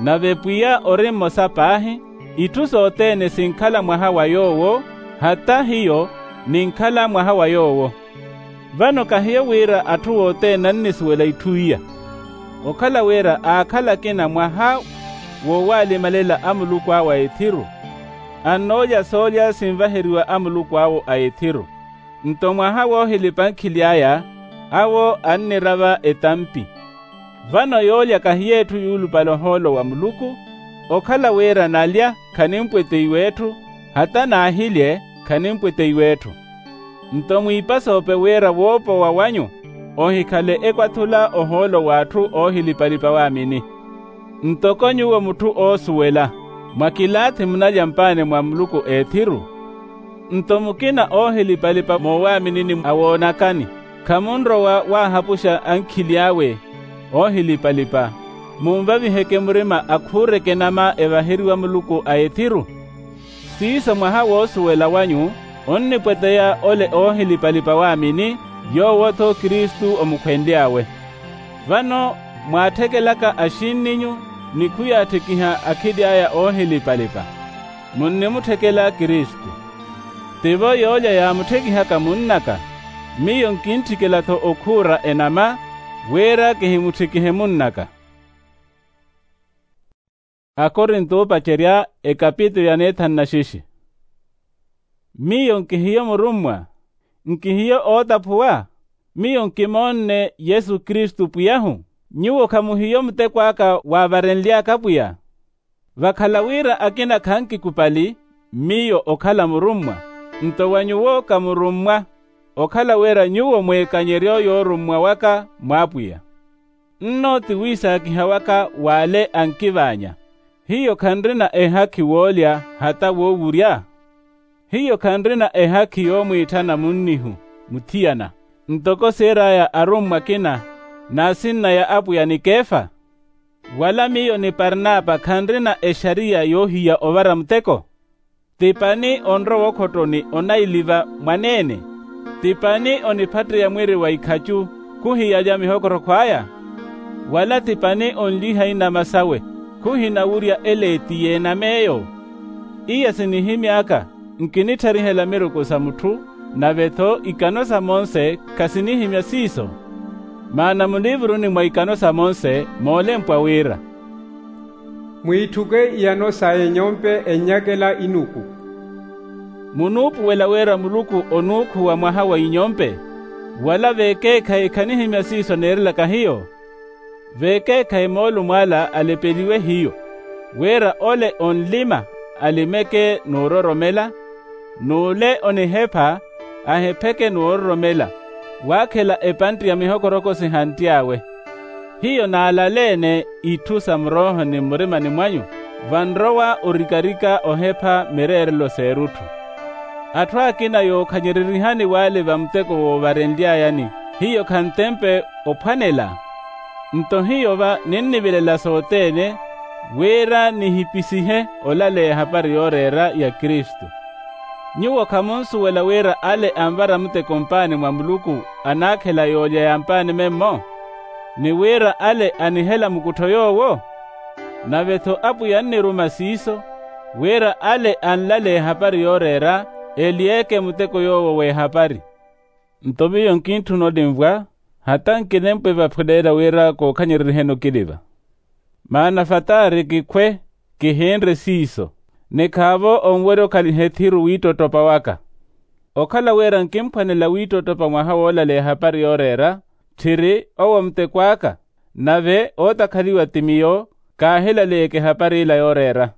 Nave pwiya ori mmosa paahi, itthu sothene sinkhala mwaha wa yoowo, hata hiyo ninkhala mwaha wa yoowo. Vano kahiyo wira atthu othene annisuwela itthu iya. Okhala wira aakhala akina mwaha woowalimalela amuluku awe a ethiru, annoolya soolya sinvaheriwa amuluku awo a ethiru. Nto mwaha woohilipa nkhili aya, awo annirava etampi. Vano yoolya kahiyo etthu yuulupale ohoolo wa muluku, okhala wira nalya khanimpweteiwa etthu, hata naahilye khanimpweteiwa etthu. Nto mwiipasoope wira woopowa wanyu ohikhale ekwathula ohoolo w'atthu oohilipalipa waamini. Ntoko nyuwo mutthu oosuwela, mwa kilaathi munalya mpaani mwa muluku a ethiru. Nto mukina oohilipalipa moowaaminini awoonakani, khamunrowa waahapuxa ankhili awe oohilipalipa, munvaviheke murima akhuureke enama evaheriwa muluku a ethiru. Siiso mwaha woosuwela wanyu onnipweteya ole oohilipalipa waamini, yoowo-tho kristu omukhwenly'awe. Vano mwaatthekelaka axinninyu ni khuyaatthikiha akhili aya oohilipalipa, munnimutthekela kristu. Tivo yoolya yaamutthekihaka munn'aka, miyo nkintthikela-tho okhuura enama, wira kihimutthekihe munn'aka. Akorinto oopacerya, ekapitulu ya neethanu na xixi. Miyo nkihiyo murummwa? Nkihiyo ootaphuwa? Miyo nkimoonne yesu kristu pwiy'ahu? Nyuwo khamuhiyo muteko aka waavarenly'aka pwiya? Vakhala wira akina khankikupali miyo okhala murummwa. Nto wa nyuwo kamurummwa, okhala wira nyuwo mweekanyeryo yoorummwa waka mw'apwiya. Nno ti wiisaakiha waka w'ale ankivaanya. Hiyo khanrina ehakhi woolya hata woowurya? Hiyo khanrina ehakhi yoomwiitthana munnihu muthiyana, ntoko siir'aya arummwa akina n'asinna ya apwiya ni kefa? Wala miyo ni parnapa khanrina exariya yoohiya ovara muteko? Ti pani onrowa okhottoni onailiva mwaneene? Ti pani oniphatteya mwiri wa ikhacu khuhiyalya mihokorokho aya? Wala ti pani onliha inama sawe khuhinawurya ele ti yeenam'eyo? Iya sinihimy'aka nkinitthariha elamiruku sa mutthu, nave-tho ikano sa monse khasinihimya siiso. Maana muliivuruni mwa ikano sa monse moolempwa wira, mwiitthuke iyano sa enyompe ennyakela inuku. Munuupuwela wira muluku onuukhuwa mwaha wa inyompe? Wala vekeekhayi khanihimya siiso neerelaka hiyo. Vekeekhayi moolumo ala alepeliwe hiyo, wira ole onlima alimeke n'uroromela, n'ule onihepha ahepheke n'uroromela, waakhela epantti ya mihokoroko sihantty'awe. Hiyo naalaleene itthu sa muroohoni mmurimani mwanyu, vanrowa orikarika ohepha mireerelo s'erutthu. Atthu akina yookhanyereryihani w'ale va muteko woovarenly'ayani, hiyo khantempe ophwanela. Nto hiyo va ninnivilela sothene, wira nihipisihe olaleya ehapari yooreera ya kristu. Nyuwo khamunsuwela wira ale anvara muteko mpaani mwa muluku anaakhela yoolya ya mpaani memmo? Ni wira ale anihela mukuttho yoowo? Nave-tho apwiya anniruma siiso, wira ale anlaleya ehapari yooreera ely'eke muteko yoowo w'ehapari. Nto miyo nkintthuna olimvwa, hata nkinempwe vaphuleela wira kookhanyereriheni okiliva. Maana fataari kikhwe, kihinre siiso, ni khaavo onwerya okhaliha ethiru wiittottopa waka. Okhala wira nkimphwanela wiittottopa mwaha woolaleya ehapari yooreera, tthiri owo muteko aka, nave ootakhaliwa ti miyo, kaahilaleyeke ehapari ila yooreera.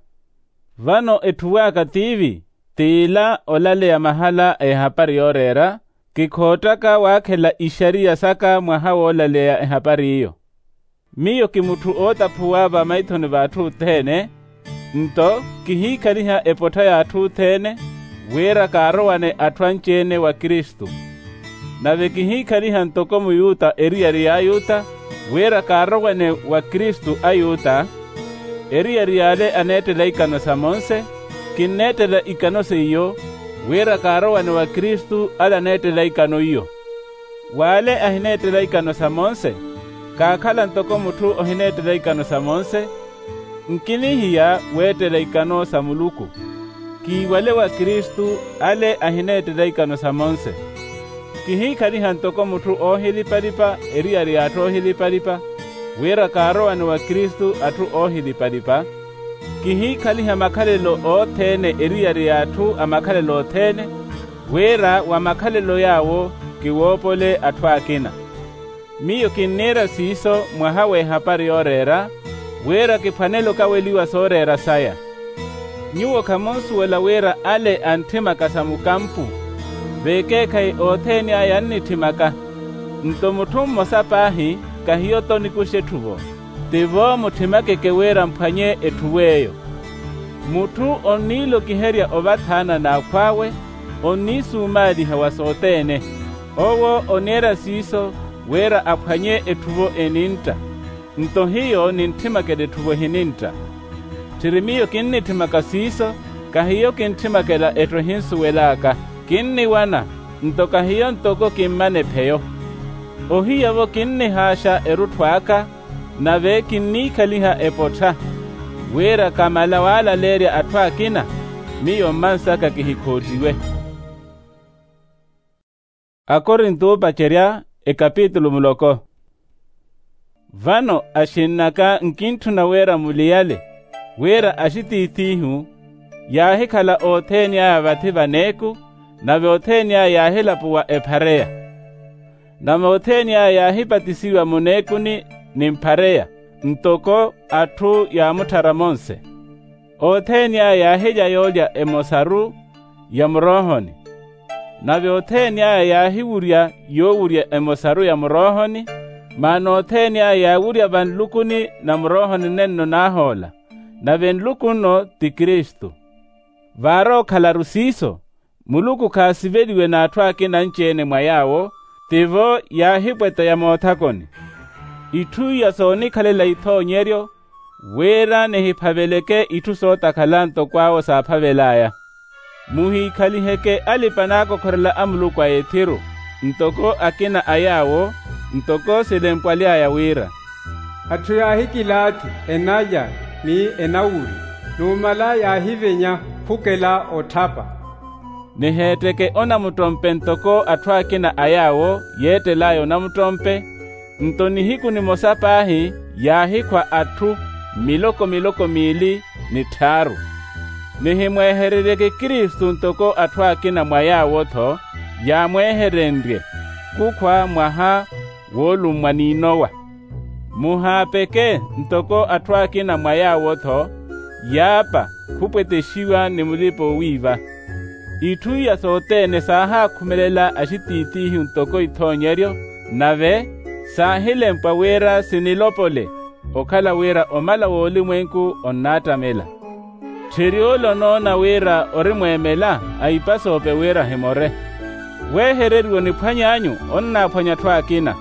Vano etthuw'aka tiivi, t'ila olaleya mahala a ehapari yooreera, kikhoottaka waakhela ixariya saka mwaha woolaleya ehapari iyo. Miyo ki mutthu ootaphuwa vamaithoni v'atthu othene, nto kihiikhaliha epottha y'atthu othene, wira kaarowane atthu anci-ene wa kristu. Nave kihiikhaliha ntoko muyuta eriyari y'ayuta, wira kaarowane wa kristu ayuta. Eriyari y'ale aneettela ikano sa monse, kinneettela ikano seiyo, wira kaarowane wa kristu ale aneettela ikano iyo. W'ale ahineettela ikano sa monse, kaakhala ntoko mutthu ohineettela ikano sa monse, nkinihiya weettela ikano sa muluku. Kiiwale wa kristu ale ahineettela ikano sa monse. Kihiikhaliha ntoko mutthu oohilipa-lipa eriyari y'atthu oohilipa-lipa, wira kaarowane wa kristu atthu oohilipa-lipa. Kihiikhaliha makhalelo othene eriyari y'atthu a makhalelo othene, wira wa makhalelo yaawo kiwoopole atthu akina. Miyo kinniira siiso mwaha w'ehapari yooreera, wira kiphwanele okaweliwa sooreera saya. Nyuwo khamunsuwela wira ale antthimaka sa mukampu, vekeekhayi othene aya annitthimaka. Nto mutthu mmosa paahi, kahiyo-tho nikuxa etthuvo, tivo mutthimake wira mphwanye etthuvo eyo. Mutthu onniilokiherya ovathaana n'akhw'awe, onniisumaaliha wa sothene. Owo oniira siiso wira aphwanye etthuvo enintta. Nto hiyo ninthimakela etthuvo ehinintta. Tthiri miyo kinnitthimaka siiso, kahiyo kinthimakela etthu ehinsuwel'aka. Kinniwana, nto kahiyo ntoko kimmana epheyo. Ohiya-vo kinnihaaxa erutthu aka, nave kinniikhaliha epottha, wira kamala waalaleerya atthu akina, miyo mmansaka kihikhoottiwe. Akorinto oopacerya, ekapitulu muloko. Vano axinn'aka, nkintthuna wira muliyale wira axitiith'ihu yaahikhala othene aya vathi vaneeku, nave othene aya yaahilapuwa ephareya. Nave othene aya yaahipatisiwa muneekuni ni mphareya, ntoko atthu yaamutthara monse. Othene aya yaahilya yoolya emosaru ya muroohoni, Nave othene aya yaahiwurya yoowurya emosaru ya muroohoni, maana othene aya yaawurya vanlukuni na muroohoni nenno naahoola. Nave nluku nno ti kristu. Vaarookhala-ru siiso, muluku khaasiveliwe n'atthu akina anci-ene mwa yaawo, tivo yaahipweteya moothakoni. Itthu iya soonikhalela ithoonyeryo, wira nihiphaveleke itthu sootakhala ntoko awo saaphavel'aya. Muhiikhaliheke alipa-naakokhorela a muluku a ethiru, ntoko akina a yaawo, ntoko silempwaly'aya wira, atthu yaahikilaathi enalya ni enawurya, numala yaahivenya khukela otthapa. Niheetteke onamuttompe ntoko atthu akina a yaawo yeettel'aya onamuttompe. Nto nihiku nimosa paahi yaahikhwa atthu miloko miloko miili ni tthaaru. Nihimweehereryeke kristu ntoko atthu akina mwa yaawo-tho yaamweeherenrye, khukhwa mwaha woolummwa ni nowa. Muhaapeke ntoko atthu akina mwa yaawo-tho yaapa khupwetexiwa ni mulipa-oowiiva. Itthu iya sothene saahaakhumelela axitiitiihu ntoko ithoonyeryo, nave saahilempwa wira sinilopole, okhala wira omala w'olimwenku onnaattamela. Tthiri ole onoona wira ori mweemela, aipasoope wira ahimore. Weehereriwa oniphwany'anyu onnaaphwanya atthu akina.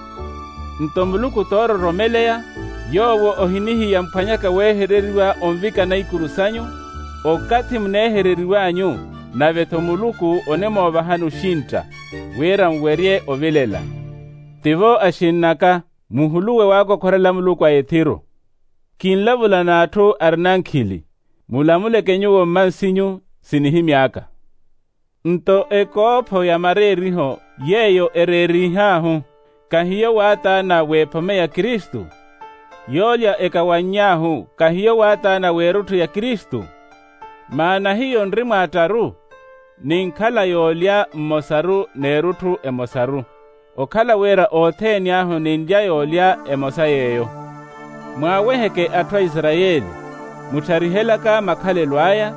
Nto muluku toororomeleya, yoowo ohinihiya mphwanyaka weehereriwa onvikana ikuru sanyu, okathi muneehereriw'anyu, nave-tho muluku onimoovahani oxintta, wira nwerye ovilela. Tivo axinn'aka, muhuluwe waakokhorela muluku a ethiru. Kinlavula n'atthu arina nkhili, mulamuleke nyuwo mmansinyu, sinihimy'aka. Nto ekoopho ya mareeriho yeeyo ereerihaahu, kahiyo waataana w'ephome ya kristu? Yoolya ekawanny'ahu kahiyo waataana w'erutthu ya kristu? Maana hiyo nri mwaattaru, ninkhala yoolya mmosaru n'erutthu emosaru, okhala wira othene ahu ninlya yoolya emosa yeeyo. Mwaaweheke atthu a isarayeli, muttharihelaka makhalelo aya,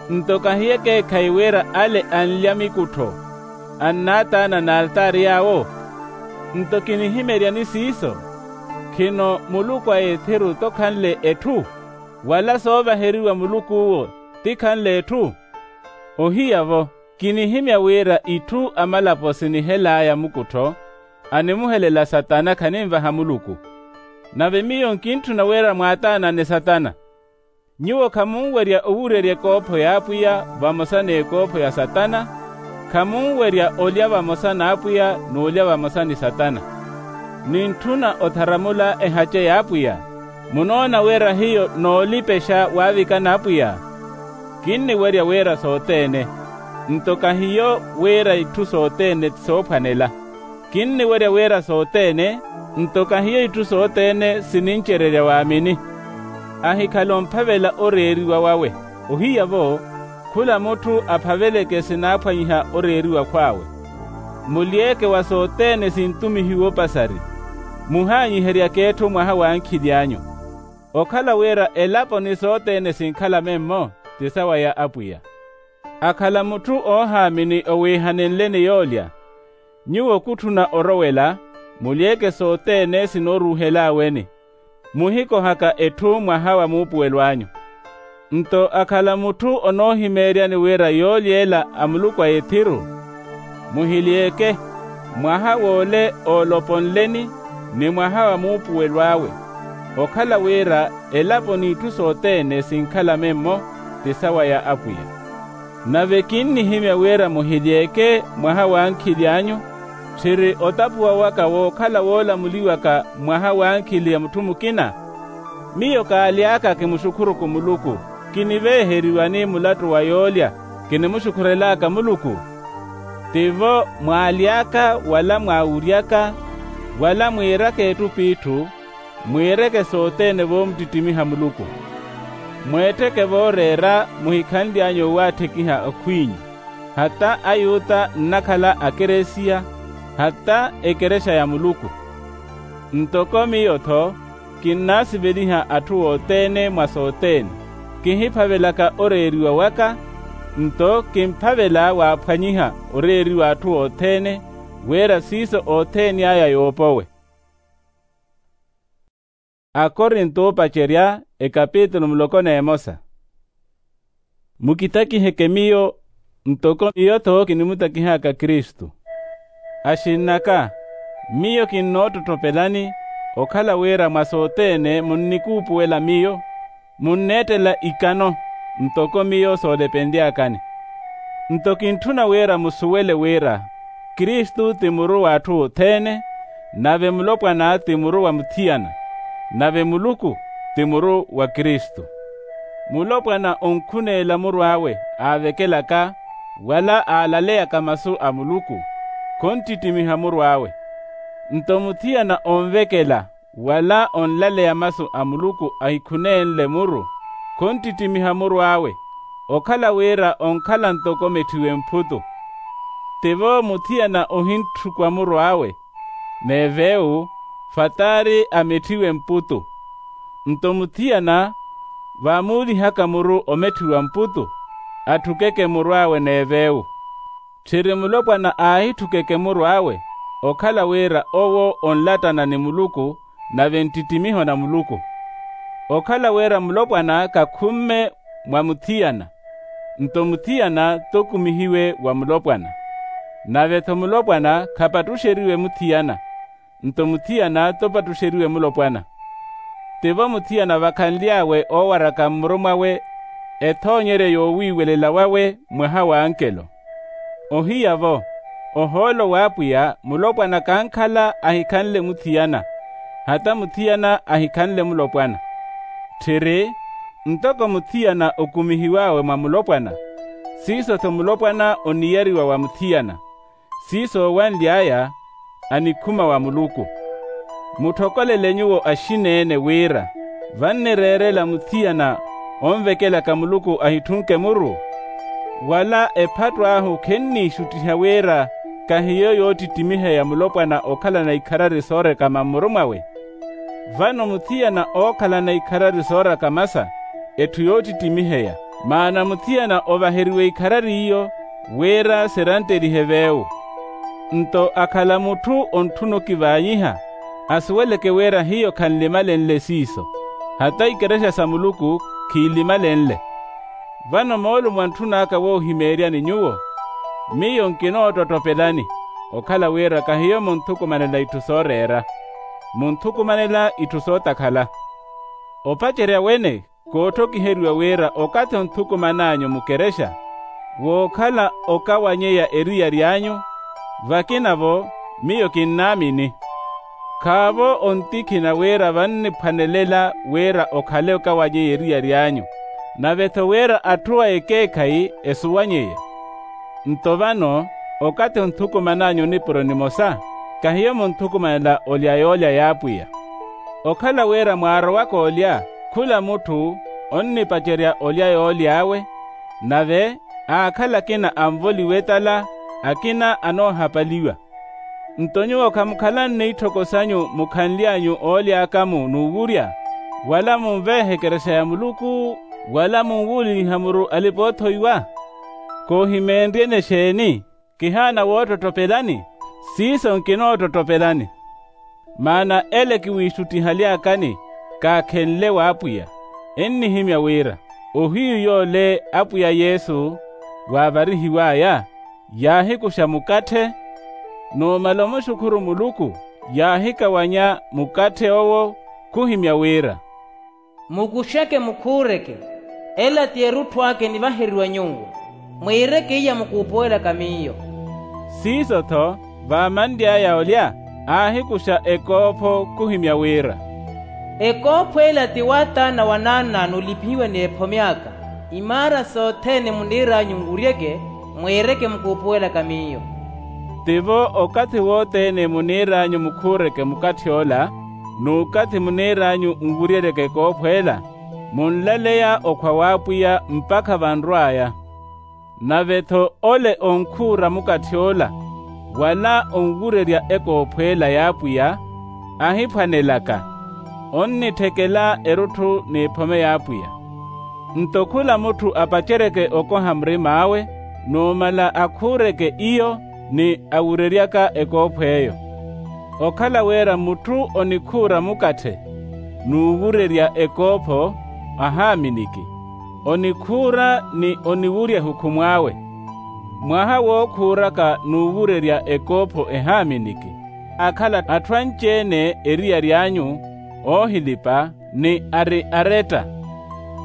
nto kahiyo ekeekhayi wira ale anlya mikuttho, annaataana n'altaari yaawo? Nto kinihimeryani siiso? Khino muluku a ethiru tokhanle etthu, wala soovaheriwa muluku uwo tikhanle etthu? Ohiya-vo, kinihimya wira itthu amalapo sinihel'aya mukuttho, animuhelela satana khaninvaha muluku. Nave miyo nkintthuna wira mwaataanane satana. Nyuwo khamunwerya owurerya ekoopho y'apwiya vamosa n'ekoopho ya satana, khamunwerya olya vamosa n'apwiya n'olya vamosa ni satana. Nintthuna otharamula ehace y'apwiya, munoona wira hiyo noolipexa waavikana apwiya? Kinniwerya wira sothene, nto kahiyo wira itthu sothene ti soophwanela. Kinniwerya wira sothene, nto kahiyo itthu sothene sinincererya waamini. Ahikhala omphavela oreeriwa wawe. Ohiya-vo, khula mutthu aphaveleke sinaaphwanyiha oreeriwa khw'awe. Muly'eke wa sothene sintumihiwe opasari. Muhaanyiheryaka etthu mwaha wa ankhili anyu. Okhala wira elapo ni sothene sinkhala memmo, ti sawa ya apwiya. Akhala mutthu oohaamini owiihanenle ni yoolya, nyuwo kutthuna orowela, muly'eke sothene sinooruuhel'aweni, muhikohaka etthu mwaha wa muupuwelo anyu. Nto akhala mutthu onoohimeeryani wira yoolya ela a muluku a ethiru, muhily'eke, mwaha w'ole ooloponleni ni mwaha wa muupuwelo awe, okhala wira elapo n'itthu sothene sinkhala memmo, ti sawa ya apwiya. Nave kinnihimya wira muhily'eke mwaha wa ankhili anyu, tthiri otapuwa waka wookhala woolamuliwaka mwaha wa ankhili a mutthu mukina. Miyo kaaly'aka kimuxukhuruku muluku, kiniveeheriwani mulattu wa yoolya kinimuxukhurel'aka muluku? Tivo mwaaly'aka wala mwaawury'aka, wala mwiiraka etthu p'itthu, mwiireke sothene voomuttittimiha muluku. Mweettheke vooreera muhikhanly'anyu owaatthikiha akhw'inyu, hata ayuta nnakhala akeresiya, hata ekerexa ya muluku. Ntoko miyo-tho kinnaasiveliha atthu othene mwa sothene, kihiphavelaka oreeriwa waka. Nto kimphavela waaphwanyiha oreeriwa atthu othene, wira siiso othene aya yoopowe. Akorinto oopacerya, ekapitulu muloko n'emosa. Mukitakiheke miyo, ntoko miyo-tho kinimutakihaka kristu. Axinn'aka, miyo kinnoottottopelani, okhala wira mwa sothene munnikuupuwela miyo, munneettela ikano, ntoko miyo soolepenly'akani. Nto kintthuna wira musuwele wira, kristu ti muru w'atthu othene, nave mulopwana ti muru wa muthiyana, nave muluku ti muru wa kristu. Mulopwana onkhuneela muru awe aavekelaka, wala aalaleyaka masu a muluku, khonttittimiha muru awe. Nto muthiyana onvekela wala onlaleya masu a muluku ahikhuneenle muru, khonttittimiha muru awe, okhala wira onkhala ntoko metthiwe mputu. Tivo muthiyana ohintthukwa muru awe n'evewu, fataari ametthiwe mputu. Nto muthiyana vaamuulihaka muru ometthiwa mputu, atthukeke muru awe n'evewu. Tthiri mulopwana aahitthukeke muru awe, okhala wira owo onlattana ni muluku, nave nttittimiho na muluku. Okhala wira mulopwana khakhumme mwa muthiyana, nto muthiyana t'okumihiwe wa mulopwana. Nave-tho mulopwana khapattuxeriwe muthiyana, nto muthiyana t'opattuxeriwe mulopwana. Tivo muthiyana vakhanly'awe oowaraka mmuru mwawe, ethoonyeryo yoowiiwelela wawe mwaha w'ankelo. Ohiya-vo, ohoolo w'apwiya mulopwana khankhala ahikhanle muthiyana, hata muthiyana ahikhanle mulopwana. Tthiri, ntoko muthiyana okumihiw'awe mwa mulopwana, siiso-tho mulopwana oniyariwa wa muthiyana. Siiso oowanly'aya anikhuma wa muluku. Mutthokolele nyuwo axin'ene wira, vannireerela muthiyana onvekelaka muluku ahitthunke muru? Wala ephattu ahu khenniixuttiha wira kahiyo yoottittimiheya mulopwana okhalana ikharari soorekama mmuru mwawe? Vano muthiyana ookhalana ikharari soorakamasa, etthu yoottittimiheya, maana muthiyana ovaheriwe ikharari iyo, wira siranttelihe veewu. Nto akhala mutthu ontthuna okivaanyiha, asuweleke wira hiyo khanlimalenle siiso, hata ikerexa sa muluku khiilimalenle. Vano moolumo antthun'aka woohimeeryani nyuwo, miyo nkinoottottopelani, okhala wira kahiyo munthukumanela itthu sooreera, munthukumanela itthu sootakhala. Opacerya wene, kootthokiheriwa wira okathi onthukuman'anyu mukerexa, wookhala okawanyeya eriyari anyu, vakina-vo miyo kinnaamini. Khaavo ontikhina wira vanniphwanelela wira okhale okawanyeya eriyari anyu, nave-tho wira atthu a ekeekhayi esuwanyeya. Nto vano, okathi onthukuman'anyu nipuro nimosa, kahiyo munthukumanela olya yoolya y'apwiya. Okhala wira mwaarowaka olya, khula mutthu onnipacerya olya yooly'awe, nave aakhala akina anvoliwa etala, akina anoohapaliwa. Nto nyuwo khamukhala nniitthoko sanyu mukhanly'anyu ooly'aka-mu n'uwurya, wala munveehe ekerexa ya muluku, wala munwuuleliha muru alipa-oothoiwa? Koohimeenryeni exeeni? Kihaana woottotopelani? Siiso nkinoottotopelani. Maana ele kiwiixuttihaly'akani kaakhenle w'apwiya, ennihimya wira, ohiyu yoole apwiya yesu waavarihiw'aya, yaahikuxa mukatthe, numala omuxukhuru muluku, yaahikawanya mukatthe owo, khuhimya wira, mukuxeke mukhuureke, ela ti erutthu aka enivaheriwa nyuwo, mwiireke iya mukuupuwelaka miyo. Siiso-tho vaamanly'aya olya, aahikuxa ekoopho khuhimya wira, ekoopho ela ti waataana wa naann'anyu olipihiwa n'ephomi aka, imaara sothene muniir'anyu nwuryeke, mwiireke mukuupuwelaka miyo. Tivo okathi wothene muniir'anyu mukhuureke mukatthi ola, n'ukathi muniir'anyu nwuryereke ekoopho ela, munlaleya okhwa w'apwiya mpakha vanrw'aya. Nave-tho ole onkhuura mukatthi ola, wala onwurerya ekoopho ela y'apwiya, ahiphwanelaka, onnitthekela erutthu n'ephome y'apwiya. Nto khula mutthu apaceryeke okoha murim'awe, numala akhuureke iyo ni awureryaka ekoopho eyo. Okhala wira mutthu onikhuura mukatthe n'uwurerya ekoopho ahaaminiki, onikhuura ni oniwurya ehukhumu awe. Mwaha wookhuuraka n'uwurerya ekoopho ehaaminiki akhala atthu anci-ene eriyari anyu, oohilipa ni ari aretta.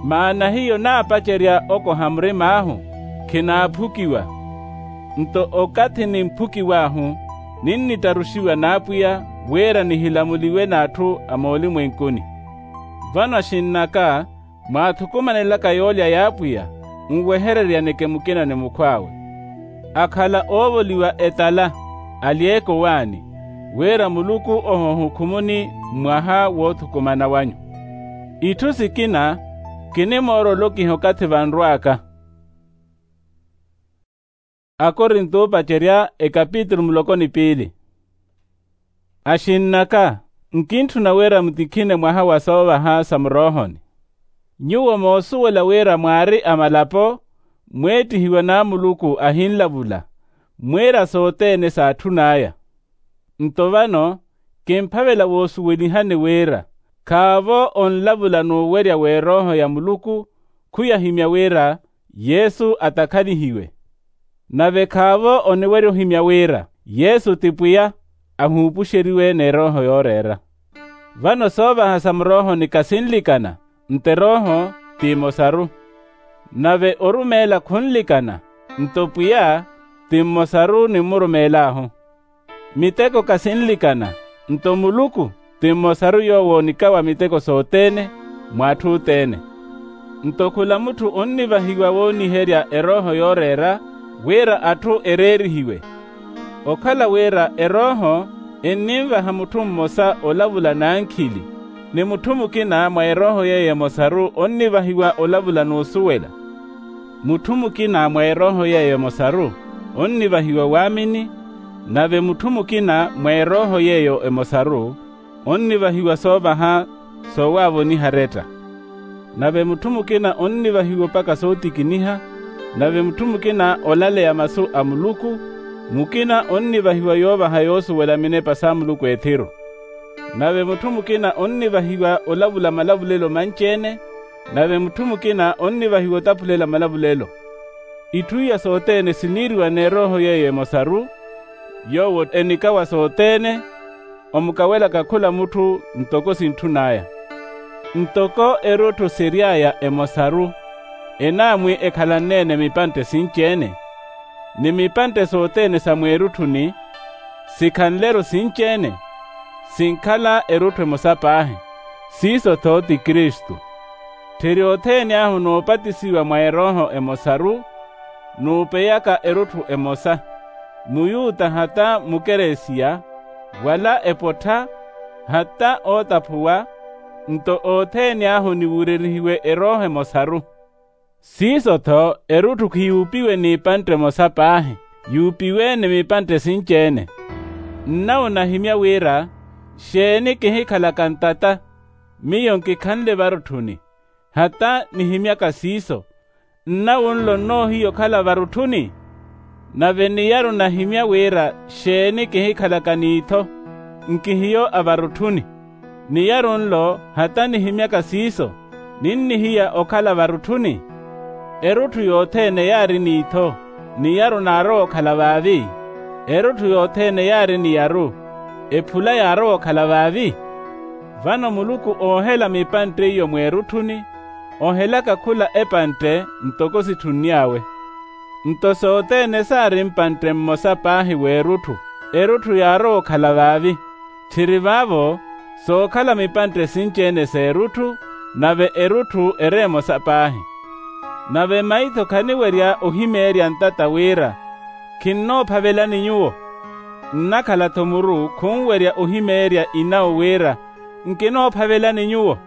Maana hiyo naapacerya okoha murim'ahu, khinaaphukiwa. Nto okathi nimphukiw'ahu, ninnittaruxiwa n'apwiya wira nihilamuliwe n'atthu a moolimwenkuni. Vano axinn'aka, mwaathukumanelaka yoolya y'apwiya, nwehereryaneke mukina ni mukhw'awe. Akhala oovoliwa etala, alyeeke owaani, wira muluku ohoohukhumuni mwaha woothukumana wanyu. Itthu sikina, kinimoora olokiha okathi vanrw'aka. Akorinto oopacerya ekapitulu muloko ni piili. Axinn'aka, nkintthuna wira mutikhine mwaha wa soovaha sa muroohoni. Nyuwo moosuwela wira mwaari a malapo, mweettihiwa n'amuluku ahinlavula, mwiira sothene saatthun'aya. Nto vano, kimphavela woosuwelihani wira, khaavo onlavula n'uwerya w'erooho ya muluku, khuyahimya wira yesu atakhalihiwe. Nave khaavo oniwerya ohimya wira yesu ti pwiya, ahuupuxeriwe n'erooho yooreera. Vano soovaha sa muroohoni khasinlikana, nto erooho ti emosaru. Nave orumeela khunlikana, nto pwiya ti mmosaru ni mmurumeel'ahu. Miteko khasinlikana, nto muluku ti mmosaru yoowo onikawa miteko sothene, mw'atthu othene. Nto khula mutthu onnivahiwa wooniherya erooho yooreera, wira atthu ereerihiwe. Okhala wira erooho enninvaha mutthu mmosa olavula n'ankhili, ni mutthu mukina mwa erooho yeiyo emosaru onnivahiwa olavula n'usuwela. Mutthu mukina mwa erooho yeiyo emosaru onnivahiwa waamini, nave mutthu mukina mwa erooho yeiyo emosaru onnivahiwa soovaha soowaavoniha aretta. Nave mutthu mukina onnivahiwa opaka sootikiniha, nave mutthu mukina olaleya masu a muluku, mukina onnivahiwa yoovaha yoosuwela minepa sa muluku ethiru. Nave mutthu mukina onnivahiwa olavula malavulelo manci-ene, nave mutthu mukina onnivahiwa otaphulela malavulelo. Itthu iya sothene siniiriwa n'erooho yeiyo emosaru, yoowo enikawa sothene, omukawelaka khula mutthu ntoko sintthun'aya. Ntoko erutthu siry'aya emosaru, enaamwi ekhalanne-ene mipantte sinci-ene, ni mipantte sothene sa mweerutthuni sikhanle-ru sinci-ene, sinkhala erutthu emosa paahi, siiso-tho ti kristu. Tthiri othene ahu noopatisiwa mwa erooho emosaru, nuupeyaka erutthu emosa, muyuta hata mukeresiya, wala epottha, hata ootaphuwa, nto othene ahu niwurerihiwe erooho emosaru. Siiso-tho erutthu khiyuupiwe n'ipantte emosa paahi, yuupiwe ni mipantte sinci-ene. Nnawo nahimya wira xeeni kihikhalaka ntata, miyo nkikhanle varutthuni, hata nihimyaka siiso. Nnawo nlo nnoohiya okhala varutthuni? Nave niyaru nahimya wira xeeni kihikhalaka n'itho, nkihiyo a varutthuni. Niyaru nlo hata nihimyaka siiso, ninnihiya okhala varutthuni. Erutthu yothene yaari n'itho, niyaru naarowa okhala vaavi. Erutthu yothene yaari niyaru, ephula yaarowa okhala vaavi. Vano muluku oohela mipantte iyo mweerutthuni, ohelaka khula epantte ntoko sitthunny'awe. Nto sothene saari mpantte mmosa paahi w'erutthu, erutthu yaarowa okhala vaavi. Tthiri vaavo sookhala mipantte sinci-ene s'erutthu, nave erutthu eri emosa paahi. Nave maitho khaniwerya ohimeerya ntata wira, khinnoophavelani nyuwo. Nnakhala-tho muru khunwerya ohimeerya inawo wira, nkinoophavelani nyuwo.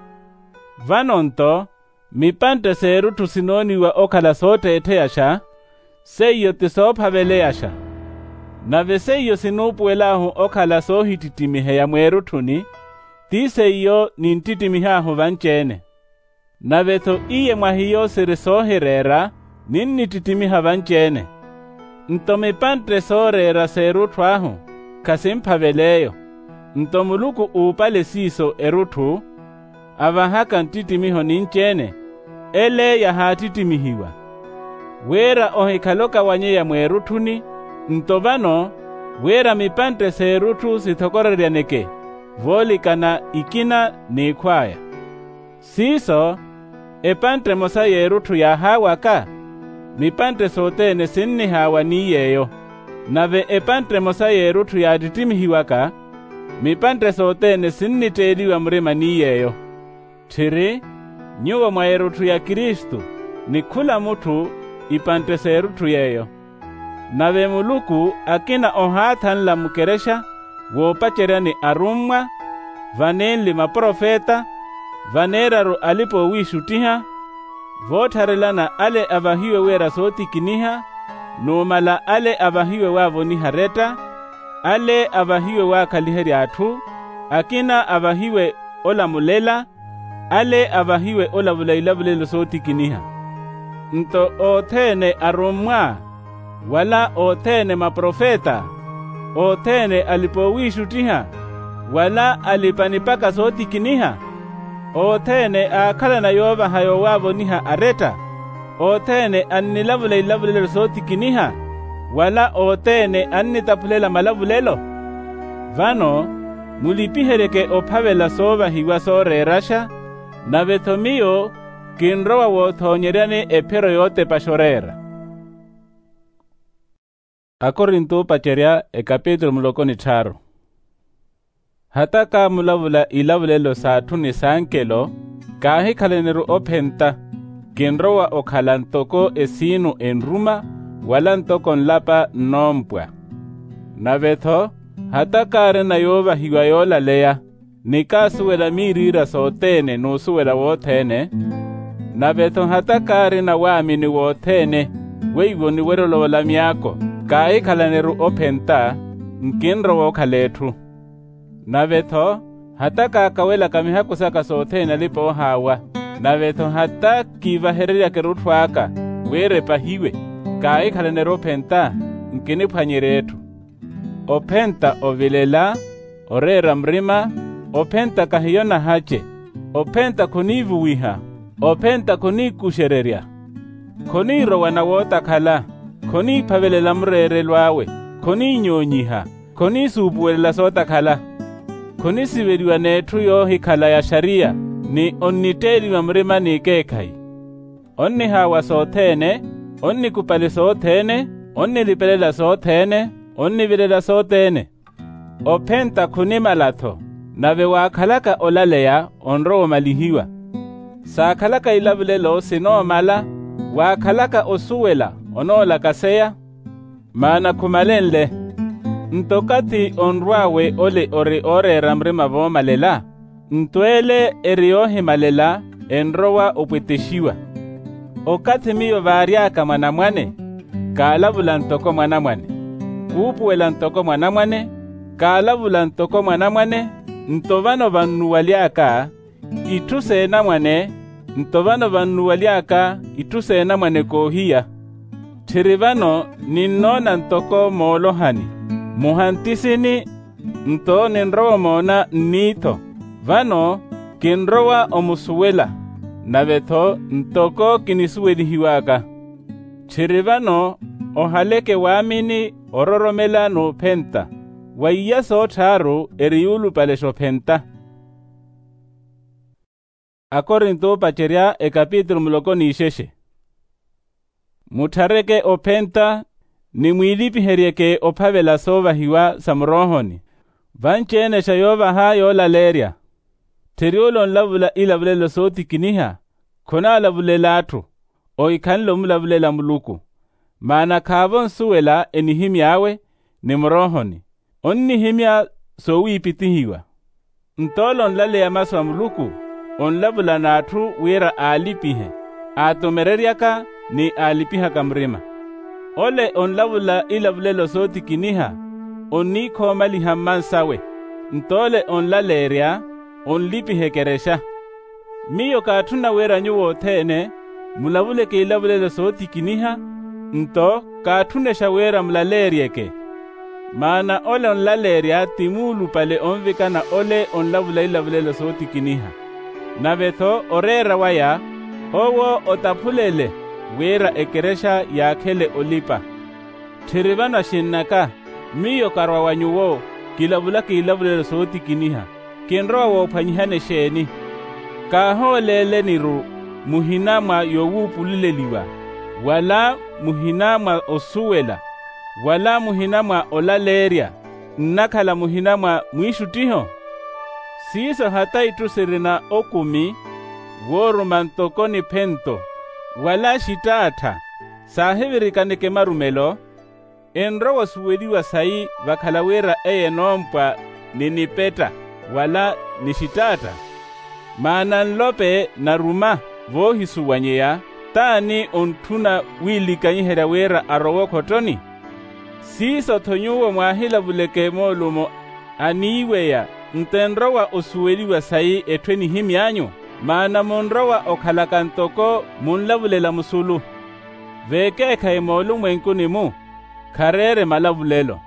Vano nto mipantte s'erutthu sinooniwa okhala sootteettheyaxa, seiyo ti soopheveleyaxa. Nave seiyo sinuupuwel'ahu okhala soohittittimiheya mweerutthuni, ti seiyo ninttittimihahu vanci-ene. Nave-tho iye mwa hiyo siri soohireera, ninnittittimiha vanci-ene. Nto mipantte sooreera s'erutthu ahu, khasinphavel'eyo. Nto muluku uupale siiso erutthu, avahaka nttittimiho ninci-ene, ele yahaattittimihiwa, wira ohikhale okawanyeya mweerutthuni. Nto vano, wira mipantte s'erutthu sithokoreryaneke, voolikana ikina n'ikhw'aya. Siiso, epantte emosa y'erutthu yaahaawaka, mipantte sothene sinnihaawa ni yeeyo. Nave epantte emosa y'erutthu yaattittimihiwaka, mipantte sothene sinnitteeliwa murima ni yeeyo. Tthiri, nyuwo mwa erutthu ya kristu, ni khula mutthu, ipantte s'erutthu yeeyo. Nave muluku akina ohaathanla mukerexa, woopaceryani arummwa, vanenli maprofeta, vaneeraru alipa oowiixuttiha, voottharelana ale avahiwe wira sootikiniha, numala ale avahiwe waavoniha aretta, ale avahiwe waakhaliherya atthu, akina avahiwe olamulela, ale avahiwe olavula ilavulelo sootikiniha. Nto othene arummwa, wala othene maprofeta, othene alipa oowiixuttiha, wala alipa nipaka sootikiniha, othene aakhalana yoovaha yowaavoniha aretta, othene annilavula ilavulelo sootikiniha, wala othene annitaphulela malavulelo. Vano, mulipiheryeke ophavela soovahiwa sooreeraxa, nave-tho miyo kinrowa woothoonyeryani ephiro yootepaxa oreera. Akorinto oopacerya ekapitulu muloko ni tthaaru. Hata kaamulavula ilavulelo s'atthu ni s'ankelo, kaahikhalaniru ophenta, kinrowa okhala ntoko esiinu enruma, wala ntoko nlapa nnoompwa. Nave-tho, hata kaarina yoovahiwa yoolaleya, ni kaasuwela miiriira sothene n'usuwela wothene, nave-tho hata kaarina waamini wothene, weiwo oniwerya olovola myaako, kaahikhalaniru ophenta, nkinrowa okhala etthu. Nave-tho, hata kaakawelaka mihaku saka sothene alipa oohaawa, nave-tho hata kiivahereryaka erutthu aka, wira epahiwe, kaahikhalaniru ophenta, nkiniphwanyerya etthu. Ophenta ovilela, oreera murima, ophenta kahiyo nahace, ophenta khoniivuwiha, ophenta khoniikuxererya, khoniirowa na wootakhala, khoniiphavelela mureerelo awe, khoniinyoonyiha, khoniisuupuwelela sootakhala, khonisiveliwa n'etthu yoohikhala ya xariya, ni onnitteeliwa murima n'ikeekhayi. Onnihaawa sothene, onnikupali sothene, onnilipelela sothene, onnivilela sothene. Ophenta khunimala-tho, nave waakhalaka olaleya onrowa omalihiwa. Saakhalaka ilavulelo sinoomala, waakhalaka osuwela onoolakaseya, maana khumalenle. Nto okathi onrw'awe ole ori ooreera murima voomalela, nto ele eri yoohimalela enrowa opwetexiwa. Okathi miyo vaary'aka mwanamwane, kaalavula ntoko mwanamwane, kuupuwela ntoko mwanamwane, kaalavula ntoko mwanamwane. Nto vano vannuwaly'aka itthu s'enamwane, nto vano vannuwaly'aka itthu s'enamwane koohiya. Tthiri vano ninnoona ntoko moolohani, muhantisini, nto ninrowa omoona nniitho. Vano kinrowa omusuwela, nave-tho ntoko kinisuwelihiw'aka. Tthiri vano ohaleke waamini, ororomela n'uphenta, wa iya soottharu eri yuulupalexa ophenta. Akorinto oopacerya ekapitulu muloko n'ixexe. Mutthareke ophenta, ni mwiilipiheryeke ophavela soovahiwa sa muroohoni, vanci-enexa yoovaha yoolaleerya. Tthiri ole onlavula ilavulelo sootikiniha, khonaalavulela atthu, ohikhanle omulavulela muluku. Maana khaavo nsuwela enihimy'awe, ni muroohoni onnihimya soowiipitihiwa. Nto ole onlaleya masu a muluku, onlavula n'atthu wira aalipihe, aatomereryaka ni aalipihaka murima. Ole onlavula ilavulelo sootikiniha, onniikhoomaliha mmansawe. Nto ole onlaleerya, onlipiha ekerexa. Miyo kaatthuna wira nyuwo othene mulavuleke ilavulelo sootikiniha, nto kaatthunexa wira mulaleeryeke. Maana ole onlaleerya ti muulupale onvikana ole onlavula ilavulelo sootikiniha. Nave-tho oreera waya owo otaphulele wira ekerexa yaakhele olipa. Tthiri vano axinn'aka, miyo karwa wa nyuwo kilavulaka ilavulelo sootikiniha. Kinrowa woophwanyihana exeeni? Kaahooleeleni-ru muhina mwa yowuupululeliwa, wala muhina mwa osuwela, wala muhina mwa olaleerya, nnakhala muhina mwa mwiixuttiho? Siiso hata itthu sirina okumi wooruma ntoko niphento, wala xitaattha saahivirikaneke marumelo, enrowa osuweliwa sayi vakhala wira eye enoompwa ni nipetta wala ni xitaatta? Maana nlope naruma voohisuwanyeya, t'ani ontthuna wiilikanyiherya wira arowe okhottoni? Siiso-tho nyuwo mwaahilavuleke moolumo aniiweya, nto enrowa osuweliwa sayi etthu enihimy'anyu? Maana munrowa okhalaka ntoko munlavulela musulu. Veekeekhayi moolumwenkuni-mu khareere malavulelo,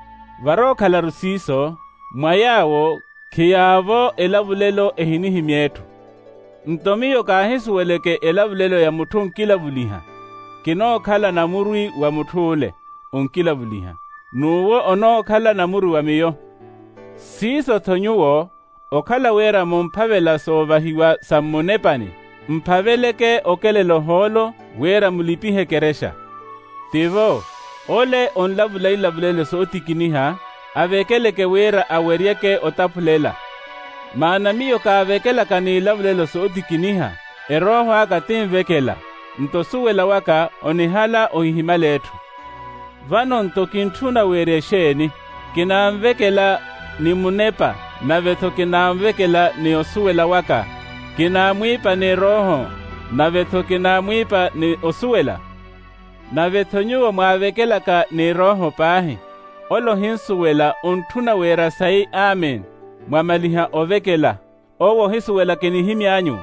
varookhalaru siiso mwa yaawo khiyaavo elavulelo ehinihimya etthu. Nto miyo kaahisuweleke elavulelo ya mutthu onkilavuliha, kinookhala namurwi wa mutth'ule onkilavuliha, n'uwo onookhala namurwi wa miyo. Siiso-tho nyuwo okhala wira mumphavela soovahiwa sa mmunepani, mphaveleke okelela ohoolo wira mulipihe ekerexa. Tivo, ole onlavula ilavulelo sootikiniha avekeleke wira aweryeke otaphulela. Maana miyo kaavekelaka n'ilavulelo sootikiniha, erooho aka tinvekela, nto osuwela waka onihala ohihimala etthu. Vano nto kintthuna weerya exeeni? Kinaanvekela ni munepa, nave-tho kinaanvekela ni osuwela waka. Kinaamwiipa ni erooho, nave-tho kinaamwiipa ni osuwela. Nave-tho nyuwo mwaavekelaka ni erooho paahi, ole ohinsuwela ontthuna weerya sayi amen, mwamaliha ovekela. Owo ohisuwela kinihimy'anyu.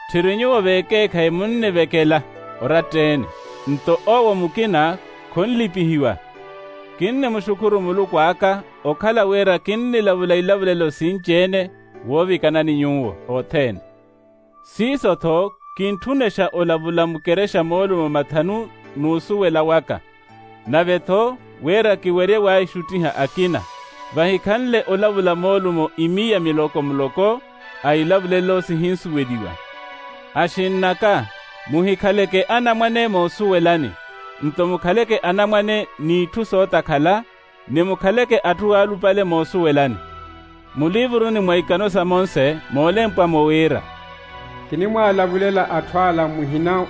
Tthiri nyuwo veekeekhayi munnivekela oratta-ene, nto owo mukina khonlipihiwa. Kinnimuxukhuru muluku aka okhala wira kinnilavula ilavulelo sinci-ene woovikanani nyuwo othene. Siiso-tho kintthunexa olavula mukerexa moolumo mathanu n'usuwela waka, nave-tho wira kiwerye waaixuttiha akina. Vahikhanle olavula moolumo imiya miloko-muloko a ilavulelo sihinsuweliwa. Axinn'aka, muhikhaleke anamwane moosuwelani, nto mukhaleke anamwane n'itthu sootakhala, ni mukhaleke atthu aalupale moosuwelani. Mulivuruni mwa ikano sa monse moolempwa-mo wira, kinimwaalavulela atthu ala muhina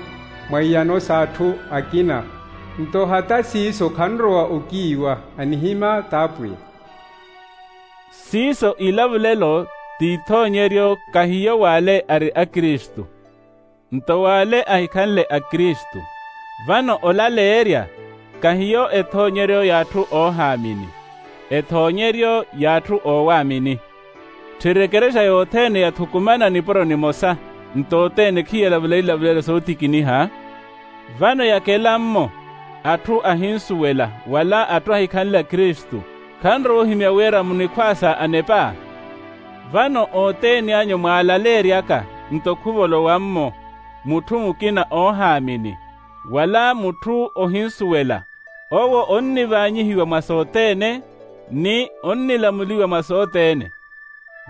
mwa iyano s'atthu akina, nto hata siiso khanrowa okiiwa, anihimya t'apwiya. Siiso ilavulelo t'ithoonyeryo, kahiyo w'ale ari akristu, nto w'ale ahikhanle akristu. Vano olaleerya kahiyo ethoonyeryo y'atthu oohaamini, ethoonyeryo y'atthu oowaamini. Tthiri ekerexa yothene yathukumana nipuro nimosa, nto othene khiyalavula ilavulelo sootikiniha. Vano yakela-mmo atthu ahinsuwela wala atthu ahikhanle akristu, khanrowa ohimya wira munikhwaasa anepa? Vano othene anyu mwaalaleeryaka, nto khuvolowa-mmo mutthu mukina oohaamini, wala mutthu ohinsuwela, owo onnivaanyihiwa mwa sothene, ni onnilamuliwa mwa sothene.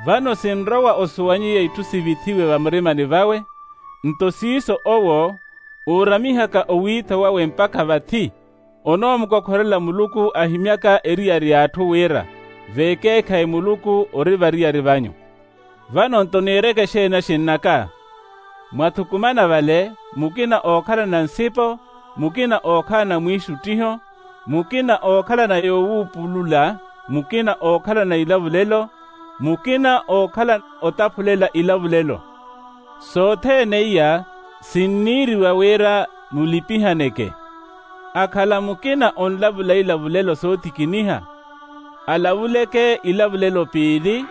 Vano sinrowa osuwanyiya itthu sivithiwe vamurimani vawe, nto siiso owo uuramihaka owiitho wawe mpakha vathi, onoomukokhorela muluku ahimyaka eriyari y'atthu wira veekeekhayi muluku ori variyari vanyu. Vano nto niireke exeeni axinn'aka? Mwathukumana vale, mukina ookhalana nsipo, mukina ookhalana mwiixuttiho, mukina ookhalana yowuupulula, mukina ookhalana ilavulelo, mukina ookhalana otaphulela ilavulelo. Sothene iya sinniiriwa wira mulipihaneke. Akhala mukina onlavula ilavulelo sootikiniha, alavuleke ilavulelo piili,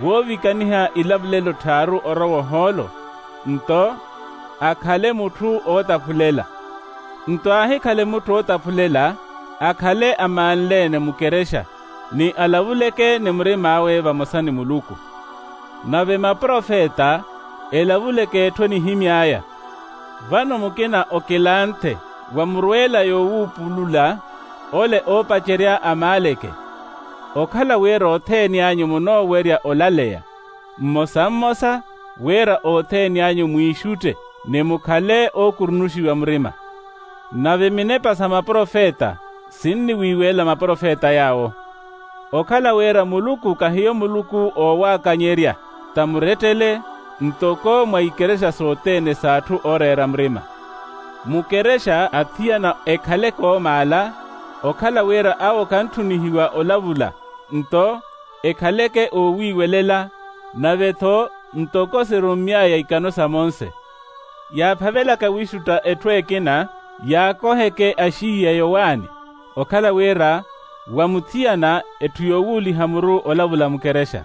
woovikaniha ilavulelo tthaaru orowa ohoolo. nto akhale mutthu ootaphulela. Nto aahikhale mutthu ootaphulela, akhale amaanle-ene mukerexa, ni alavuleke ni murim'awe vamosa ni muluku. Nave maprofeta elavuleke etthu enihimy'aya. Vano mukina okilanthe wa murweela yoowuupulula ole oopacerya amaaleke. Okhala wira othene anyu munoowerya olaleya mmosa mmosa, wira othene anyu mwiixutte ni mukhale ookurunuxiwa murima. Nave minepa sa maprofeta sinniwiiwelela maprofeta yaawo. Okhala wira muluku kahiyo muluku oowaakanyerya, ta murettele ntoko mwa ikerexa sothene s'atthu ooreera murima. Mukerexa athiyana ekhaleke oomaala, okhala wira awo kantthunihiwa olavula, nto ekhaleke oowiiwelela, nave-tho ntoko sirummy'aya ikano sa monse. Yaaphavelaka wiixutta etthu ekina, yaakoheke axiiya yowaani, okhala wira wa muthiyana etthu yoowuuliha muru olavula mukerexa.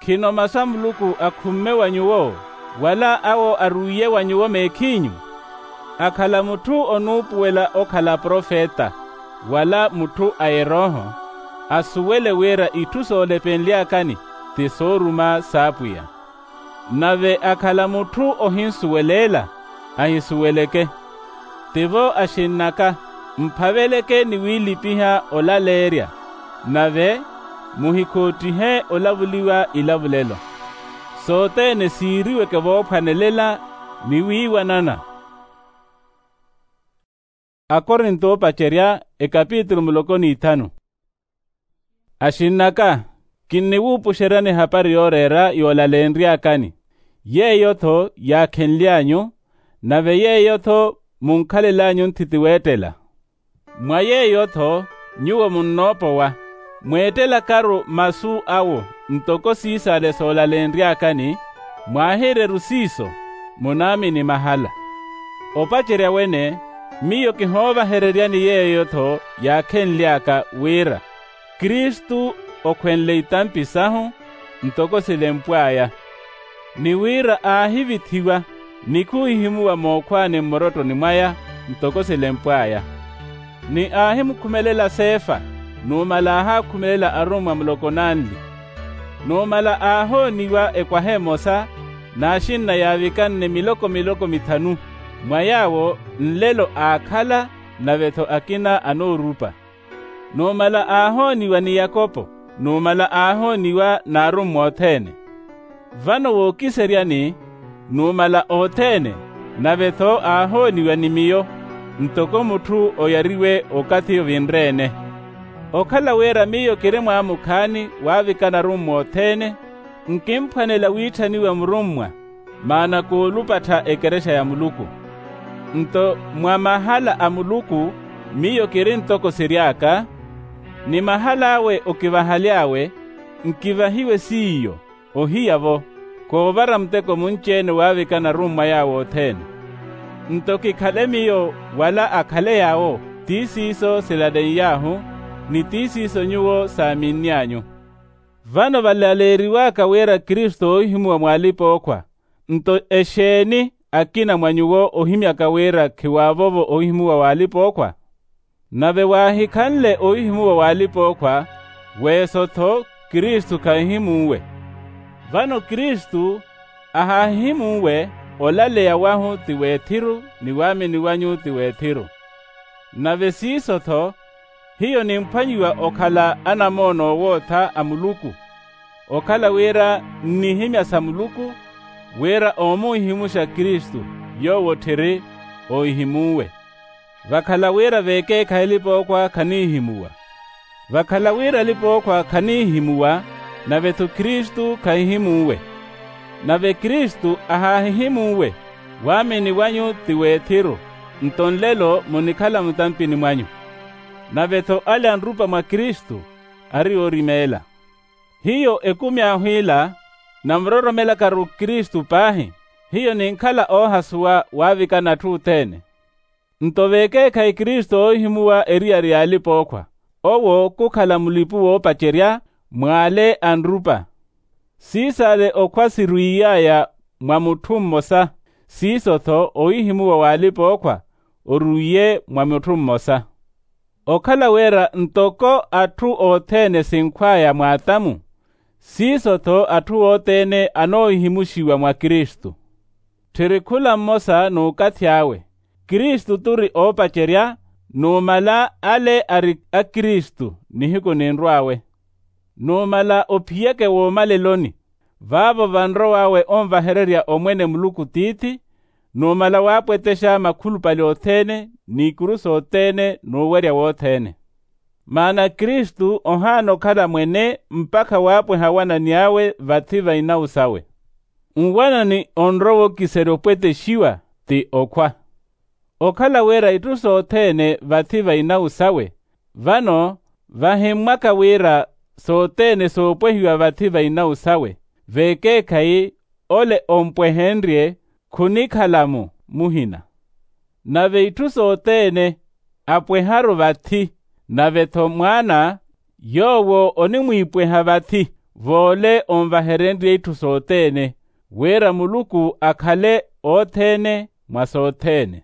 Khino masu a muluku akhumme wa nyuwo, wala awo arwiiye wa nyuwo meekhinyu? Akhala mutthu onuupuwela okhala profeta, wala mutthu a erooho, asuwele wira itthu soolepenly'akani ti sooruma s'apwiya. Nave akhala mutthu ohinsuweleela, ahisuweleke. Tivo axinn'aka, mphaveleke ni wiilipiha olaleerya, nave muhikhoottihe olavuliwa ilavulelo. Sothene siiriweke voophwanelela ni wiiwanana. Akorinto oopacerya, ekapitulu muloko n'ithanu. Axinn'aka, kinniwuupuxeryani ehapari yooreera yoolalenry'akani. Yeeyo-tho yaakhenly'anyu, nave yeeyo-tho munkhalel'anyu nthiti weettela. Mwa yeeyo-tho nyuwo munnoopowa, mweettelakaru masu awo ntoko siisale soolalenry'akani, mwaahiireru siiso, munaamini mahala. Opacerya wene, miyo kihoovahereryani yeeyo-tho yaakhenly'aka wira kristu okhwenle itampi sahu ntoko silempw'aya, ni wira aahivithiwa ni khuhihimuwa mookhwaani mmorottoni mwaya ntoko silempw'aya. Ni aahimukhumelela sefa, numala aahaakhumelela arummwa muloko nanli. Numala aahooniwa ekwaha emosa n'axinna yaavikanne miloko miloko mithanu, mwa yaawo nlelo aakhala, nave-tho akina anoorupa. Numala aahooniwa ni yakopo, numala aahooniwa n'arummwa othene. Vano wookiseryani, numala othene, nave-tho aahooniwa ni miyo, ntoko mutthu oyariwe okathi ovinre-ene. Okhala wira miyo kiri mwaamukhaani waavikana arummwa othene, nkimphwanela wiitthaniwa murummwa, maana koolupattha ekerexa ya muluku. Nto mwa mahala a muluku miyo kiri ntoko siry'aka, ni mahal'awe okivahaly'awe, nkivahiwe s'iyo, ohiya-vo, koovara muteko munci-ene waavikana arummwa yaawo othene. Nto kikhale miyo wala akhale yaawo, ti siiso silaleiyahu, ni ti siiso nyuwo saaminny'anyu. Vano valaleeriw'aka wira kristu oohihimuwa mw'alipa-ookhwa, nto exeeni akina mwa nyuwo ohimyaka wira khiwaavovo oohihimuwa w'alipa-ookhwa? Nave waahikhanle oohihimuwa w'alipa-ookhwa, weeso-tho kristu khahihimunwe. Vano kristu ahaahihimunwe, olaleya wahu ti w'ethiru ni waamini wanyu ti w'ethiru. Nave siiso-tho, hiyo nimphwanyiwa okhala anamoona oowootha a muluku, okhala wira nnihimya sa muluku, wira oomuhihimuxa kristu, yoowo otthiri oohihimunwe. Vakhala wira veekeekhayi alipa-ookhwa khanihihimuwa. Vakhala wira alipa-ookhwa khanihihimuwa, nave-tho kristu khahihimunwe. Nave kristu ahaahihimunwe, waamini wanyu ti w'ethiru, nto nlelo munikhala mutampini mwanyu. Nave-tho ale anrupa mwa kristu, ari oorimeela. Hiyo ekumi ahu ila, namuroromelakaru kristu paahi, hiyo ninkhala oohasuwa waavikana atthu othene. Nto veekeekhayi kristu oohihimuwa eriyari y'alipa-ookhwa, owo khukhala mulipu woopacerya, mw'ale anrupa. Siisale okhwa sirwiiy'aya mwa mutthu mmosa, siiso-tho owihimuwa w'alipa-ookhwa orwiiye mwa mutthu mmosa. Okhala wira ntoko atthu othene sinkhw'aya mw'atamu, siiso-tho atthu othene anoohimuxiwa mwa kristu. Tthiri khula mmosa n'ukathi awe. Kristu t'uri oopacerya, numala ale ari akristu nihiku ninrw'awe. Numala ophiyeke woomaleloni, vaavo vanrow'awe onvahererya omwene muluku tiithi, numala waapwetexa makhulupale othene n'ikuru sothene n'uwerya wothene. Maana kristu ohaana okhala mwene mpakha waapweha awanani awe vathi va inawu sawe. Nwanani onrowa okiserya opwetexiwa ti okhwa. Okhala wira itthu sothene vathi va inawu sawe, vano vahimmwaka wira sothene soopwehiwa vathi va inawu sawe, vekeekhayi ole ompwehenrye khunikhala-mu muhina. Nave itthu sothene apweharu vathi, nave-tho mwaana yoowo onimwiipweha vathi, v'ole onvaherenrye itthu sothene, wira muluku akhale othene mwa sothene.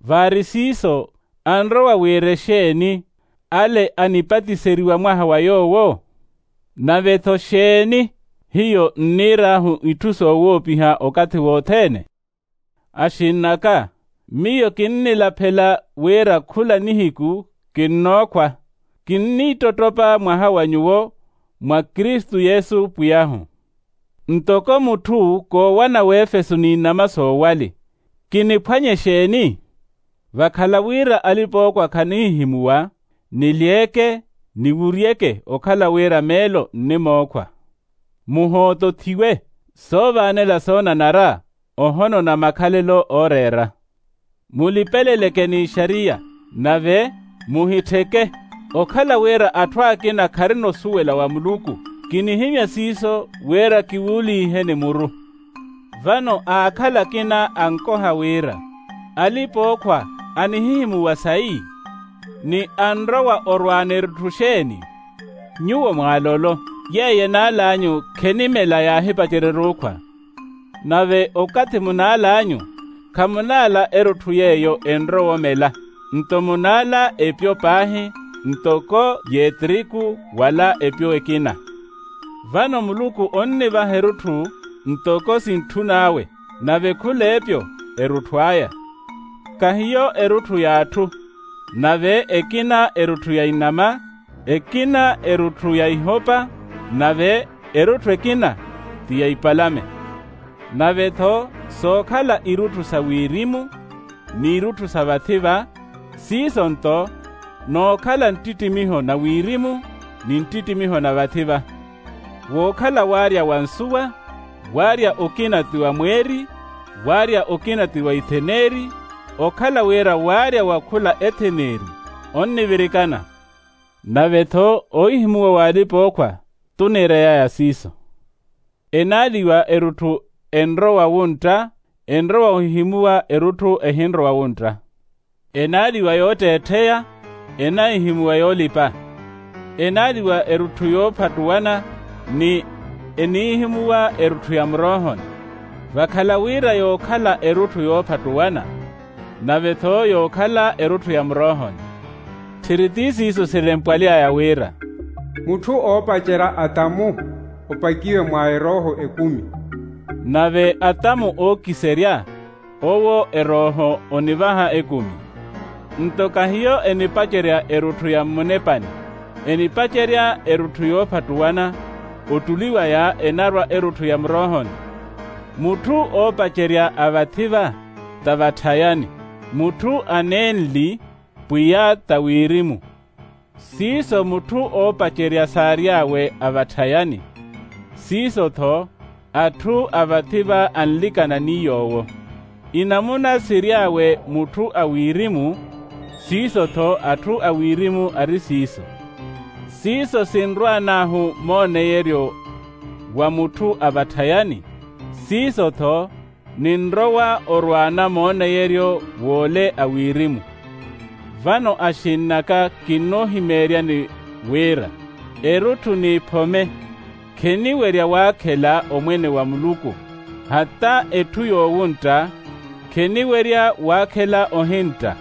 Vaari siiso anrowa wira exeeni ale anipatiseriwa mwaha wa yoowo? Nave-tho xeeni hiyo nniir'ahu itthu soowoopiha okathi wothene? Axinn'aka, miyo kinnilaphela wira khula nihiku kinnookhwa, kinniittottopa mwaha wa nyuwo mwa kristu yesu pwiy'ahu. Ntoko mutthu koowana w'efeso n'inama soowali, kiniphwanye xeeni? Vakhala wira alipa-ookhwa khanihihimuwa, nilyeeke niwuryeke okhala wira meelo nnimookhwa. Muhootothiwe soovaanela soonanara, ohono na makhalelo ooreera. Mulipeleleke n'ixariya, nave muhittheke. Okhala wira atthu akina kharina osuwela wa muluku, kinihimya siiso wira kiwuuliiheni muru. Vano aakhala akina ankoha wira, alipa-ookhwa anihihimuwa sayi? Ni anrowa orwaana erutthu xeeni? Nyuwo mwaalolo, yeeyo enaal'anyu khenimela yaahipacerya eruukhwa. Nave okathi munaal'anyu, khamunaala erutthu yeeyo enrowa omela, nto munaala epyo paahi, ntoko y'etiriku wala epyo ekina. Vano muluku onnivaha erutthu ntoko sintthun'awe, nave khul'epyo erutthu aya. Kahiyo erutthu y'atthu, nave ekina erutthu ya inama, ekina erutthu ya ihopa, nave erutthu ekina ti ya ipalame. Nave-tho sookhala irutthu sa wirimu, n'irutthu sa vathi-va, siiso nto nookhala nttittimiho na wirimu ni nttittimiho na vathi-va. Wookhala waarya wa nsuwa, waarya okina ti wa mweeri, waarya okina ti wa itheneeri, okhala wira waarya wa khula etheneeri onnivirikana. Nave-tho ohihimuwa w'alipa-ookhwa t'uniirey'aya siiso. Enaaliwa erutthu enrowa wuntta, enrowa ohihimuwa erutthu ehinrowa wuntta. Enaaliwa yootteettheya, enahihimuwa yoolipa. Enaaliwa erutthu yoophattuwana, ni enihihimuwa erutthu ya muroohoni. Vakhala wira yookhala erutthu yoophattuwana, nave-tho yookhala erutthu ya muroohoni. Tthiri ti siiso silempwaly'aya wira, mutthu oopacerya atamu opakiwe mwa erooho ekumi. Nave atamu ookiserya, owo erooho onivaha ekumi. Nto kahiyo enipacerya erutthu ya mmunepani, enipacerya erutthu yoophattuwana. Ottuli waya enarwa erutthu ya muroohoni. Mutthu oopacerya a vathi-va ta vatthayani, mutthu aneenli, pwiya ta wirimu. Siiso mutthu oopacerya saary'awe a vatthayani, siiso-tho atthu a vathi-va anlikana ni yoowo. Inamuna siry'awe mutthu a wirimu, siiso-tho atthu a wirimu ari siiso. Siiso sinrwaan'ahu mooneyeryo wa mutthu a vatthayani, siiso-tho ninrowa orwaana mooneyeryo w'ole a wirimu. Vano axinn'aka kinnoohimeeryani wira erutthu n'iphome kheniwerya waakhela omwene wa muluku. Hata etthu yoowuntta kheniwerya waakhela ohintta.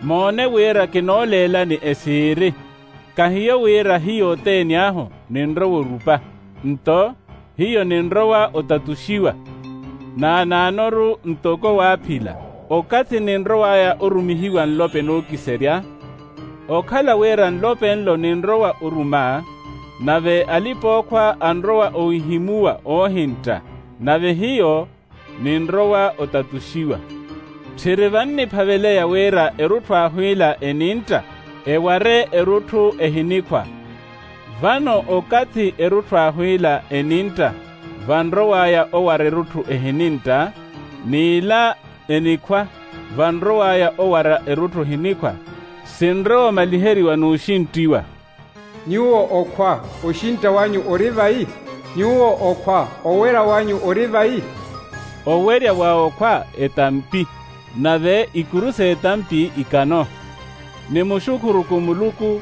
Moone wira kinooleelani esiiri. Kahiyo wira hiyo othene ahu ninrowa orupa, nto hiyo ninrowa otatuxiwa. Naanaanoru ntoko waaphila, okathi ninrow'aya orumihiwa nlope nookiserya. Okhala wira nlope nlo ninrowa oruma, nave alipa-ookhwa anrowa owihimuwa oohintta, nave hiyo ninrowa otatuxiwa. Tthiri vanniphaveleya wira erutthu ahwiila enintta eware erutthu ehinikhwa. Vano okathi erutthu ahwiila enintta vanrow'aya owara erutthu ehinintta, n'ila enikhwa vanrow'aya owara erutthu ehinikhwa, sinrowa omaliheriwa n'uxinttiwa. Nyuwo okhwa, oxintta wanyu ori vayi? Nyuwo okhwa, owerya wanyu ori vayi? Owerya wa okhwa etampi, nave ikuru s'etampi ikano. Nimuxukhuruku muluku,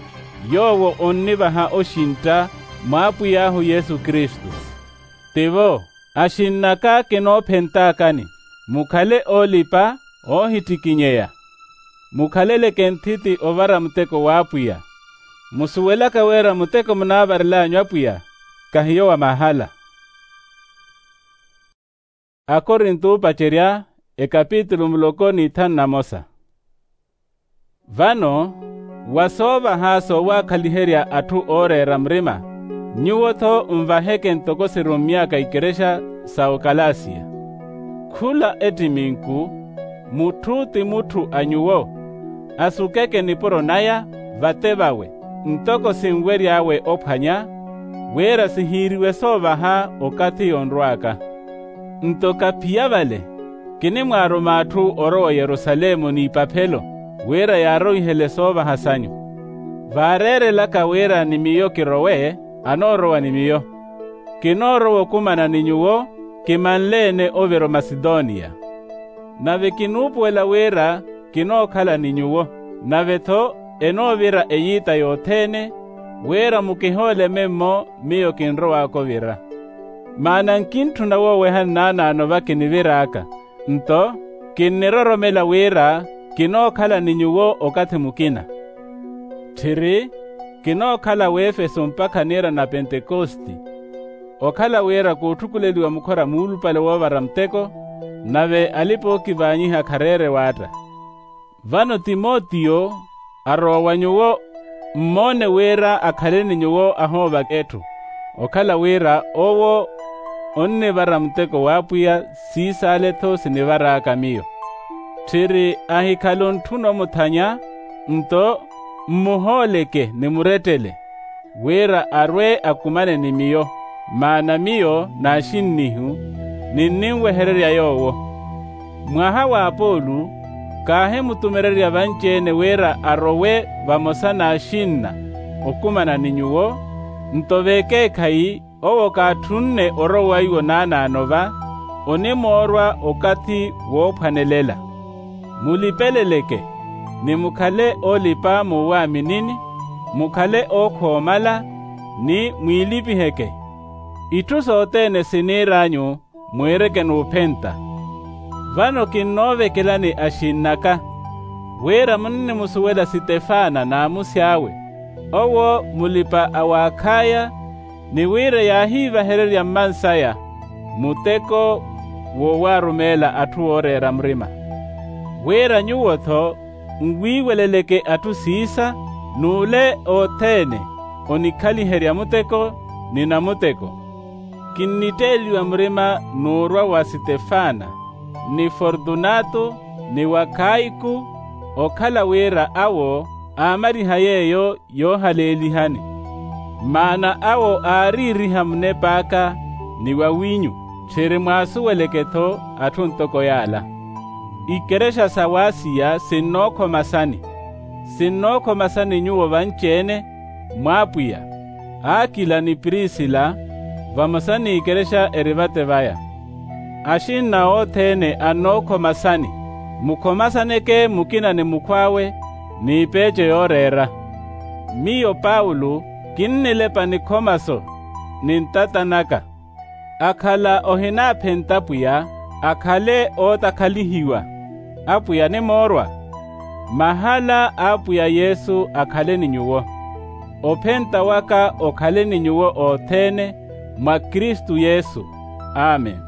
yoowo onnivaha oxintta, mw'apwiy'ahu yesu kristu. Tivo, axinn'aka kinoophentaakani, mukhale oolipa oohittikinyeya. Mukhaleleke nthiti ovara muteko w'apwiya. Musuwelaka wira muteko munaavarel'anyu apwiya, kahiyo wa mahala. Akorinto oopacerya, ekapitulu muloko n'ithanu na mosa. Vano, wa soovaha soowaakhaliherya atthu ooreera murima, nyuwo-tho nvaheke ntoko sirummy'aka ikerexa sa okalasiya. Khula ettiminku, mutthu ti mutthu a nyuwo, asukeke nipuro naya vate vawe, ntoko sinwery'awe ophwanya, wira sihiiriwe soovaha okathi yonrw'aka. Nto kaphiya vale, kinimwaaruma atthu orowa oyerusalemu n'ipaphelo, wira yaarowihele soovaha sanyu. Vaareerelaka wira ni miyo kirowe, anoorowa ni miyo. Kinoorowa okumana ni nyuwo, kimanle-ene ovira omasidoniya. Nave kinuupuwela wira kinookhala ni nyuwo, nave-tho enoovira eyita yothene, wira mukihoole memmo miyo kinrow'aka ovira. Maana nkintthuna woowehani naanaano va kinivir'aka, nto kinniroromela wira kinookhala ni nyuwo okathi mukina. Tthiri, kinookhala w'efeso mpakha niira na pentekosti. Okhala wira kootthukuleliwa mukhora muulupale woovara muteko, nave alipa-ookivaanyiha khareere waatta. Vano timotiyo arowa wa nyuwo, mmoone wira akhale ni nyuwo ahoovaka etthu, okhala wira owo onnivara muteko w'apwiya, siis'ale-tho sinivar'aka miyo. Tthiri ahikhale ontthuna omuthanya, nto mmuhooleke ni murettele, wira arwe akumane ni miyo, maana miyo n'axinnihu, ninninwehererya yoowo. Mwaha w'apoolu, kaahimutumererya vanci-ene wira arowe vamosa n'axinna, okumana ni nyuwo. Nto vekeekhayi owo kaatthunne orowa iwo naanaano va, onimoorwa okathi woophwanelela. Mulipeleleke, ni mukhale oolipa muwaaminini, mukhale ookhoomala, ni mwiilipiheke. Itthu sothene siniir'anyu mwiireke n'uphenta. Vano kinnoovekelani axinn'aka, wira munnimusuwela sitefana n'amusi awe, owo mulipa a w'akhaya, ni wira yaahiivahererya mmansaya muteko wowaarumeela atthu ooreera murima. Wira nyuwo-tho nwiiweleleke atthu siisa, n'ule othene onikhaliherya muteko ni namuteko. Kinnitteeliwa murima n'urwa wa sitefana, ni fortunato, ni wa khaiku, okhala wira awo aamariha yeeyo yoohaleelihani. Maana awo aariiriha munep'aka ni wawinyu, tthiri mwaasuweleke-tho atthu ntoko yaala. Ikerexa sa w'asiya sinnookhomasani. Sinnookhomasani nyuwo vanci-ene, mw'apwiya. Akila ni prisila, vamosa n'ikerexa eri vate vaya. Axinna othene annookhomasani. Mukhomasaneke mukina ni mukhw'awe, n'ipeeco yooreera. Miyo paulo, kinnilepa nikhomaso ni ntata naka. Akhala ohinaaphenta apwiya, akhale ootakhalihiwa. Apwiya animoorwa. Mahala a apwiya yesu akhale ni nyuwo. Ophenta waka okhale ni nyuwo othene, mwa kristu yesu. Amen.